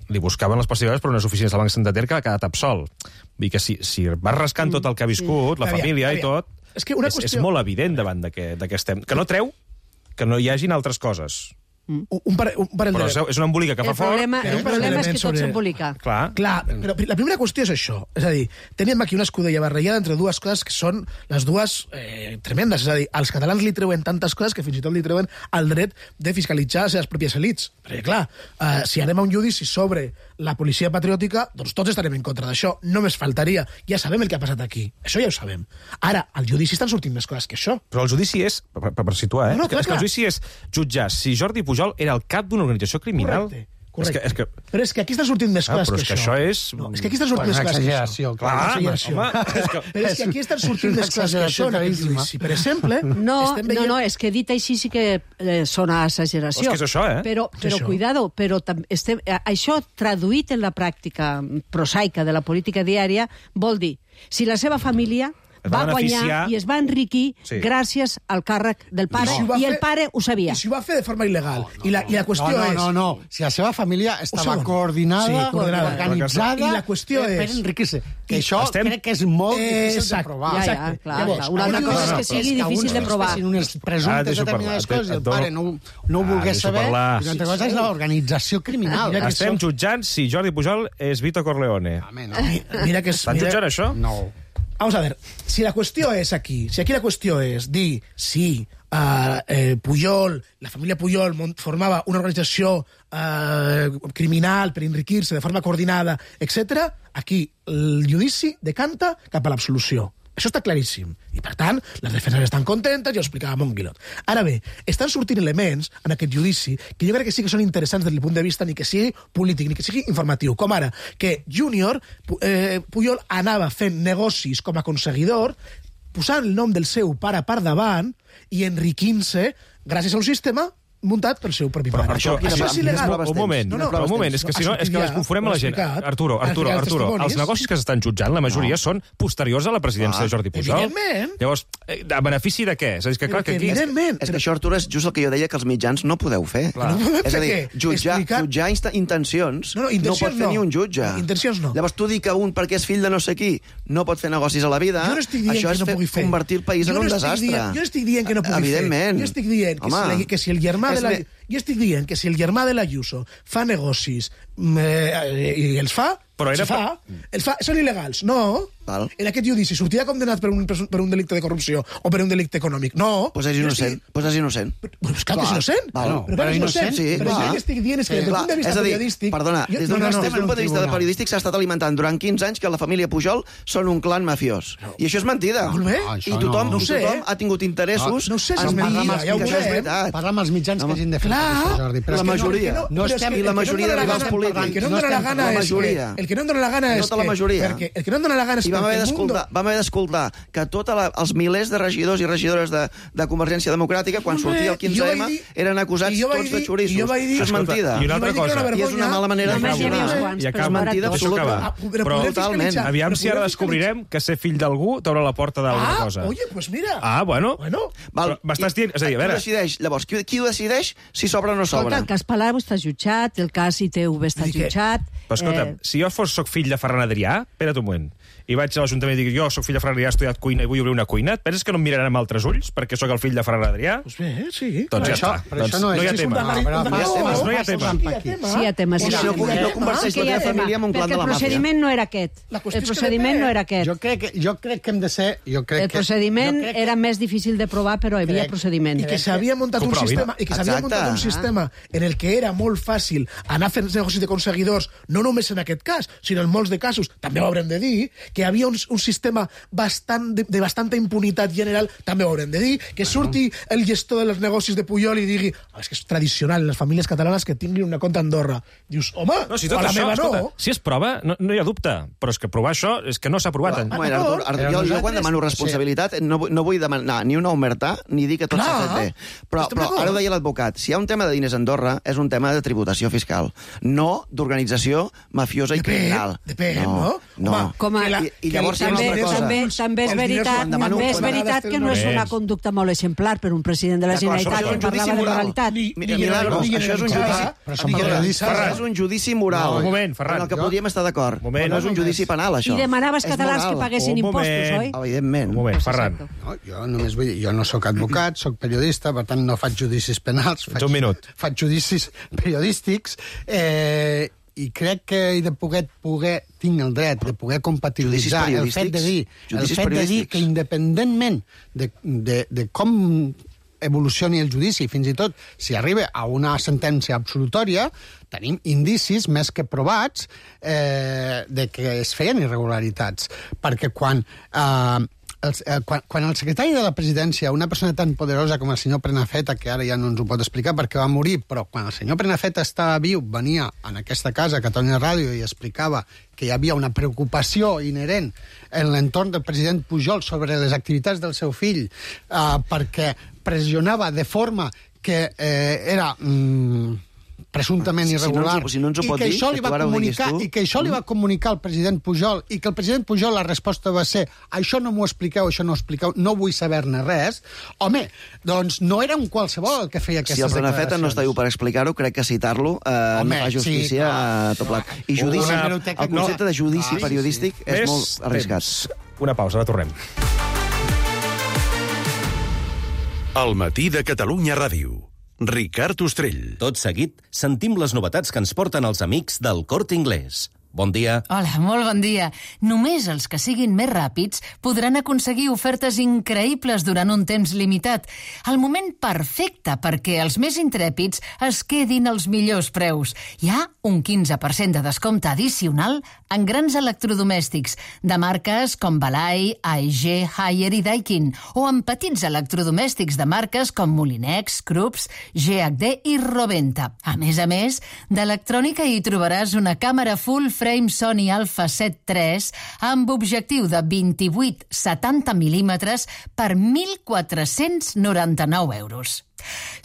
li buscaven les possibilitats per unes oficines del Banc Santander que ha quedat absolt. Vull dir que si, si vas rascant tot el que ha viscut, la família i tot, és, que una és, qüestió... és molt evident davant de què, de què estem. Que no treu que no hi hagin altres coses. Un, un, parell, un parell Però de... és una embolica que fa El problema, fort. el problema és que tot s'embolica. Clar. Clar, però la primera qüestió és això. És a dir, tenim aquí una escudella barrejada entre dues coses que són les dues eh, tremendes. És a dir, als catalans li treuen tantes coses que fins i tot li treuen el dret de fiscalitzar les seves pròpies elits. Perquè, clar, eh, si anem a un judici sobre la policia patriòtica, doncs tots estarem en contra d'això. Només faltaria. Ja sabem el que ha passat aquí. Això ja ho sabem. Ara, al judici estan sortint més coses que això. Però el judici és, per, per, per situar, eh? No, no, clar, és que el clar. judici és jutjar si Jordi Pujol era el cap d'una organització criminal. Correcte. Correcte. És que, és que... Però és que aquí estan sortint més Ah, coses però que, és que això. això és... No, és que aquí estan sortint Pues més coses que exageració, això. clar. Exageració. home, és que- Però és que aquí estan sortint més coses que això en aquest judici. Per exemple, No, estem veient... no, no, és que dit així sí que eh, sona exageració. És que és això, eh? Però, És però això. cuidado, però tam, estem, eh, això traduït en la pràctica prosaica de la política diària vol dir, si la seva família Es va va guanyar beneficiar. i es va enriquir Sí. gràcies al càrrec del pare, si ho va i fer- el pare ho sabia. I si ho va fer de forma il·legal. I, la, I la qüestió no, no, és... no, no. Si la seva família estava segon. coordinada, Sí, coordinada. organitzada, I la qüestió per és- enriquir-se. Que I això estem- crec que és molt Eh, difícil de exacte. provar. Ja, ja, Exacte. clar, Llavors, clar. Una altra aquí cosa dius- és que És sigui que difícil de alguns provar. fessin unes Ara presumptes deixo determinades parlar. coses i el Et dono- pare no, no ho Ah, volgués deixo saber. parlar. I una altra cosa és l'organització criminal. Mira que Estem això- jutjant si Jordi Pujol és Vito Corleone. Home, no. Mira que és... Estan mira- jutjant això? No. Vamos a ver, si la qüestió és aquí, si aquí la qüestió és dir si uh, eh, Pujol, la família Pujol mont- formava una organització uh, criminal per enriquir-se de forma coordinada, etcètera, aquí el judici decanta cap a l'absolució. Això està claríssim. I, per tant, les defenses estan contentes, ja ho explicava Monguilot. Ara bé, estan sortint elements en aquest judici que jo crec que sí que són interessants des del punt de vista ni que sigui polític, ni que sigui informatiu. Com ara, que Júnior, eh, Pujol anava fent negocis com a aconseguidor, posant el nom del seu pare per davant i enriquint-se gràcies a un sistema muntat pel seu propi pare. Però això, això això és il·legal. un moment, No, no, un moment, és que si no, és que les conforem a la gent. Arturo, Arturo, Arturo, els negocis que s'estan jutjant, la majoria són posteriors a la presidència de Jordi Pujol. Evidentment. Llavors, eh, a benefici de què? És a dir, que clar, que aquí... Evidentment. És que això, Artur, és just el que jo deia que els mitjans no podeu fer. Clar. No podem És a fer dir, què? jutjar, Explicar- jutjar insta- intencions No, no, no, intencions pot fer no. ni un jutge. No, intencions no. Llavors tu dir que un, perquè és fill de no sé qui, no pot fer negocis a la vida, Jo no estic dient això que és no fer, pugui fer. convertir el país Jo en un no estic desastre. Dient, jo no estic dient que no pugui Evidentment. fer. Jo estic dient que, si, Home, la, que si el germà és de la... me- Jo estic dient que si el germà de l'Ayuso fa negocis mm, eh, i els fa, Però era els fa, els fa, són il·legals. No. Val. En aquest judici sortirà condenat per un, per un delicte de corrupció o per un delicte econòmic. No. Pues és Jo innocent. estic- Pues és innocent. Pues clar que és innocent. Val. Però, però, però és innocent. Sí, però clar. jo el que estic dient és que Sí, des del clar. punt de vista és a dir, periodístic... Perdona, jo- des no, d'un no, no, des d'un punt de vista tribunal. periodístic s'ha estat alimentant durant quinze anys que la família Pujol són un clan mafiós. I això és mentida. Molt bé. No, I això tothom, no. i tothom ha tingut interessos No, no sé si en és dir mentida, ja ho que això és veurem. veritat. Parla amb els mitjans que hagin de fer Clar, això, Jordi. Però la és que no- majoria. No, Però és estem... que I la el que majoria no em de dóna la rivals gana- polítics. El que no em No dóna la estem gana parlant és de la majoria. que... El que no em dóna la gana és Tota la que... majoria. Perquè el que no em dóna la gana és I vam haver perquè el mundo... d'escoltar vam haver d'escoltar que tots els milers de regidors i regidores de, de Convergència Democràtica, quan Molt bé, sortia el i quinze jo eme, vaig dir- eren acusats i jo vaig tots de dir- xorissos. i jo vaig dir- Això és Escolta, mentida. i una altra I vaig dir que era cosa. una I és una mala manera de Només hi havia uns funcionar. quants, I però acaba. no era Mentida tot. Deixa acabar. Ah, però Però podem totalment. fiscalitzar. Aviam Però si ara podem descobrirem que ser fill d'algú t'obre la porta d'alguna Ah, cosa. oye, pues mira. Ah, bueno. Bueno. Val. Però m'estàs dient... És a dir, a Qui veure... decideix? Llavors, qui, qui ho decideix si s'obre o no Escolta, s'obre? el cas Palau està jutjat, el cas I T V està Vull dir que- jutjat... Però escolta, eh, si jo fos soc fill de Ferran Adrià, espera't un moment, i vaig a l'Ajuntament i dic, jo soc fill de Ferran Adrià, he estudiat cuina i vull obrir una cuina, et penses que no em miraran amb altres ulls perquè sóc el fill de Ferran Adrià? Pues bé, sí. Doncs ja això, està. però Doncs això no és... no hi ha és un tema. darreri- No, un darreri- no, no hi ha Aquí tema. Sí, hi ha tema. Sí, I hi ha no, tema. no converteix Que hi la ha teva tema, família en un clan perquè de la el màfia. procediment no era aquest. La qüestió El és que procediment depèn. no era aquest. Jo crec, que, jo crec que hem de ser... Jo crec El que, procediment jo crec que, era més difícil de provar, però hi havia Crec- procediment. I que s'havia muntat un Comprovin. sistema i que s'havia Exacte. muntat un sistema en el que era molt fàcil anar fent negocis de conseguidors, no només en aquest cas, sinó en molts de casos, també ho haurem de dir, que hi havia un, un sistema bastant de, de bastanta impunitat general, també ho haurem de dir, que surti el gestor dels negocis de Pujol i digui, oh, és que és tradicional en les famílies catalanes que tinguin una compta a Andorra. Dius, home, No, si o tot a la això, meva escolta, no. si es prova, no, no hi ha dubte, però és que provar això és que no s'ha provat. Un moment, Artur, Artur, jo, jo quan demano responsabilitat no, vull- no vull demanar ni una omertà ni dir que tot s'ha Clar. fet bé. Però, Estem però d'acord. ara ho deia l'advocat, si hi ha un tema de diners a Andorra és un tema de tributació fiscal, no d'organització mafiosa i Depèn, criminal. depèn, no? no? No. Home, Com a- que la, I llavors hi ha una també, altra cosa. també, també és Els diners veritat, quan demano també és quan veritat vegades que no és tenen una res. conducta molt exemplar per un president de la D'acord, Generalitat això és que un judici parlava de moral. moralitat. Mira, Milagros, això és un judici... Però som Miguel, periodistes. això és un judici moral. No, un moment, Ferran. En el que podríem estar d'acord. moment. Però no és un judici penal, això. I demanaves És catalans moral. que paguessin Un impostos, moment. oi? Evidentment. Un moment, Ferran. No, jo només vull dir, jo no sóc advocat, sóc periodista, per tant no faig judicis penals, faig, un minut. faig judicis periodístics, eh, i crec que he de poder, poder tinc el dret de poder compatibilitzar el fet de dir, el Judicis fet de dir periodístics. que independentment de, de, de com evolucioni el judici, fins i tot si arriba a una sentència absolutòria, tenim indicis més que provats eh, de que es feien irregularitats. Perquè quan... Eh, el, eh, quan, quan el secretari de la presidència, una persona tan poderosa com el senyor Prenafeta, que ara ja no ens ho pot explicar perquè va morir, però quan el senyor Prenafeta estava viu, venia en aquesta casa, a Catalunya Ràdio, i explicava que hi havia una preocupació inherent en l'entorn del president Pujol sobre les activitats del seu fill, eh, perquè pressionava de forma que eh, era... Mm, presumptament irregular, si no ens ho i pot que dir, això li que va tu ara ho diguis comunicar tu. i que això li va comunicar al president Pujol i que el president Pujol la resposta va ser això no m'ho expliqueu, això no ho expliqueu, no vull saber-ne res. Home, doncs no era un qualsevol el que feia aquestes Si el declaracions. Prenafeta no està viu per explicar-ho, crec que citar-lo eh, Home, no fa justícia sí, a tot plat. I judici, Una- el concepte de judici Ah, periodístic és Més molt arriscat. temps. Una pausa, ara tornem. El matí de Catalunya Ràdio. Ricard Ostrell. Tot seguit, sentim les novetats que ens porten els amics del Corte Inglés. Bon dia. Hola, molt bon dia. Només els que siguin més ràpids podran aconseguir ofertes increïbles durant un temps limitat. El moment perfecte perquè els més intrèpids es quedin els millors preus. Hi ha un quinze per cent de descompte addicional en grans electrodomèstics de marques com Balai, A E G, Haier i Daikin, o en petits electrodomèstics de marques com Molinex, Krups, G H D i Roventa. A més a més, d'electrònica hi trobaràs una càmera full frame Sony Alpha set tres amb objectiu de vint-i-vuit setanta mil·límetres per mil quatre-cents noranta-nou euros.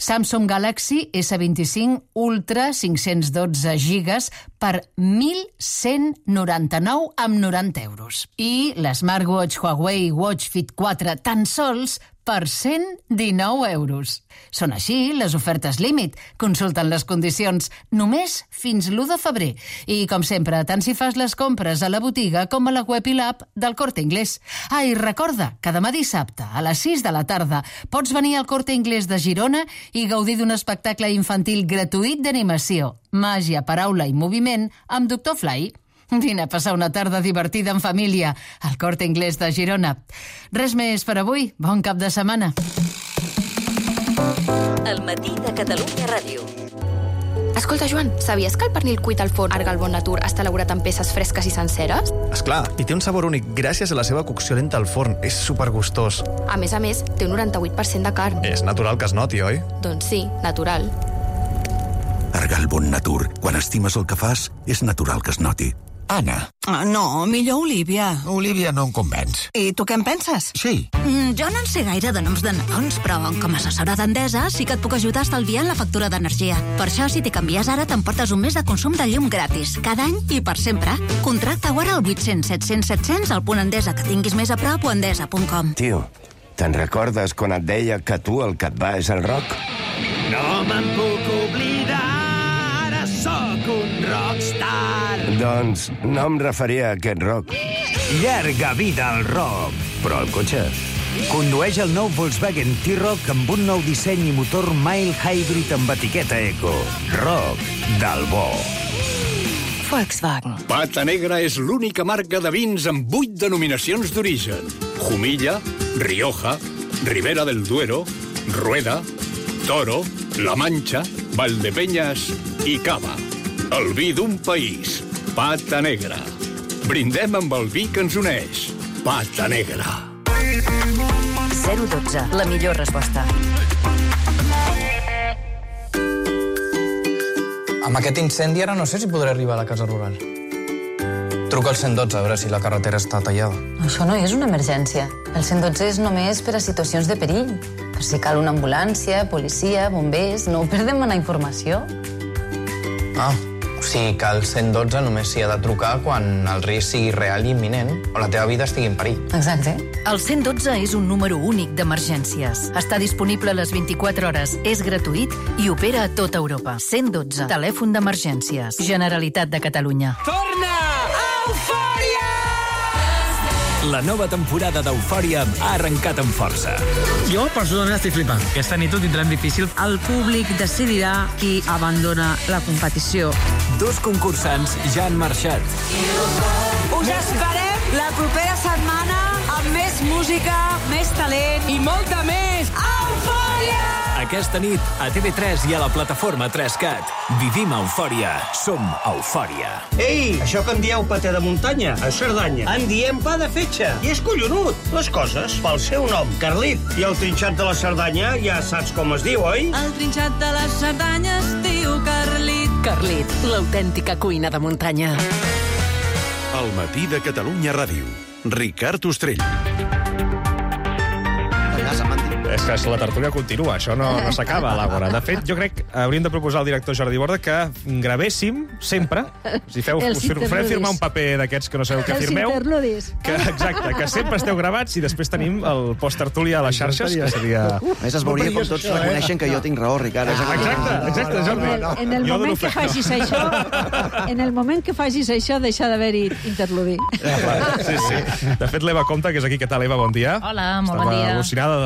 Samsung Galaxy S vint-i-cinc Ultra cinc-cents dotze gigas per mil cent noranta-nou amb noranta euros. I l'smartwatch Huawei Watch Fit quatre tan sols per cent dinou euros. Són així les ofertes límit. Consulten les condicions només fins l'u de febrer. I, com sempre, tant si fas les compres a la botiga com a la web i l'app del Corte Inglés. Ah, i recorda que demà dissabte, a les sis de la tarda, pots venir al Corte Inglés de Girona i gaudir d'un espectacle infantil gratuït d'animació, màgia, paraula i moviment amb doctor Fly. Vine a passar una tarda divertida en família al Corte Inglés de Girona. Res més per avui. Bon cap de setmana. El matí de Catalunya Ràdio. Escolta, Joan, sabies que el pernil cuit al forn Arga al Bon Natur està elaborat amb peces fresques i senceres? Esclar, i té un sabor únic gràcies a la seva cocció lenta al forn. És supergustós. A més a més, té un noranta-vuit per cent de carn. És natural que es noti, oi? Doncs sí, natural. Arga al Bon Natur. Quan estimes el que fas, és natural que es noti. Anna. Uh, no, millor Olivia. Olivia no em convenç. I tu què en penses? Sí. Mm, jo no en sé gaire de noms de nadons, però com a assessora d'Endesa sí que et puc ajudar estalviant la factura d'energia. Per això, si t'hi canvies ara, t'emportes un mes de consum de llum gratis, cada any i per sempre. Contracta ara al vuit cents set cents set cents al punt Endesa que tinguis més a prop o endesa punt com. Tio, te'n recordes quan et deia que tu el que et va és el rock? No me'n puc oblidar, ara sóc un rockstar. Doncs no em referia a aquest rock. Llarga vida al rock. Però el cotxe? Condueix el nou Volkswagen T-Roc amb un nou disseny i motor mild hybrid amb etiqueta eco. Rock del bo. Volkswagen. Pata Negra és l'única marca de vins amb vuit denominacions d'origen. Jumilla, Rioja, Ribera del Duero, Rueda, Toro, La Mancha, Valdepeñas i Cava. El vi d'un país. Pata Negra. Brindem amb el vi que ens uneix. Pata Negra. zero dotze, la millor resposta. Amb aquest incendi ara no sé si podré arribar a la casa rural. Truca al cent dotze a veure si la carretera està tallada. Això no és una emergència. El cent dotze és només per a situacions de perill. Per si cal una ambulància, policia, bombers... No perdem la informació. Ah, O sigui que el cent dotze només s'hi ha de trucar quan el risc sigui real i imminent o la teva vida estigui en perill. Exacte. El cent dotze és un número únic d'emergències. Està disponible a les vint-i-quatre hores, és gratuït i opera a tota Europa. cent dotze, telèfon d'emergències. Generalitat de Catalunya. Torna! Eufòria! La nova temporada d'Eufòria ha arrencat amb força. Jo, personalment, estic flipant. Aquesta nit ho tindrem difícil. El públic decidirà qui abandona la competició. Dos concursants ja han marxat. Us esperem la propera setmana amb més música, més talent I molta més! Eufòria! Aquesta nit, a T V tres i a la plataforma tres cat. Vivim Eufòria. Som Eufòria. Ei, això que en dieu paté de muntanya, a Cerdanya, en diem pa de fetge. I és collonut. Les coses, pel seu nom, Carlit. I el trinxat de la Cerdanya ja saps com es diu, oi? El trinxat de la Cerdanya es diu Carlit. Carlit, l'autèntica cuina de muntanya. El matí de Catalunya Ràdio. Ricard Ostrell. És que la tertúlia continua, això no, no s'acaba a l'Àgora. De fet, jo crec que hauríem de proposar al director Jordi Borda que gravéssim sempre, si feu, us farem firmar un paper d'aquests que no sabeu què firmeu, que, exacte, que sempre esteu gravats i després tenim el post-tertúlia a les xarxes, que seria... A més, es veuria com tots reconeixen que jo tinc raó, Ricard. Exacte, exacte, Jordi. En el moment que facis això, en el moment que facis això, deixa d'haver-hi interludi. Sí, sí. De fet, l'Eva Comte, que és aquí. Què tal, Eva? Bon dia. Hola, molt bon dia. Estava al·lucinada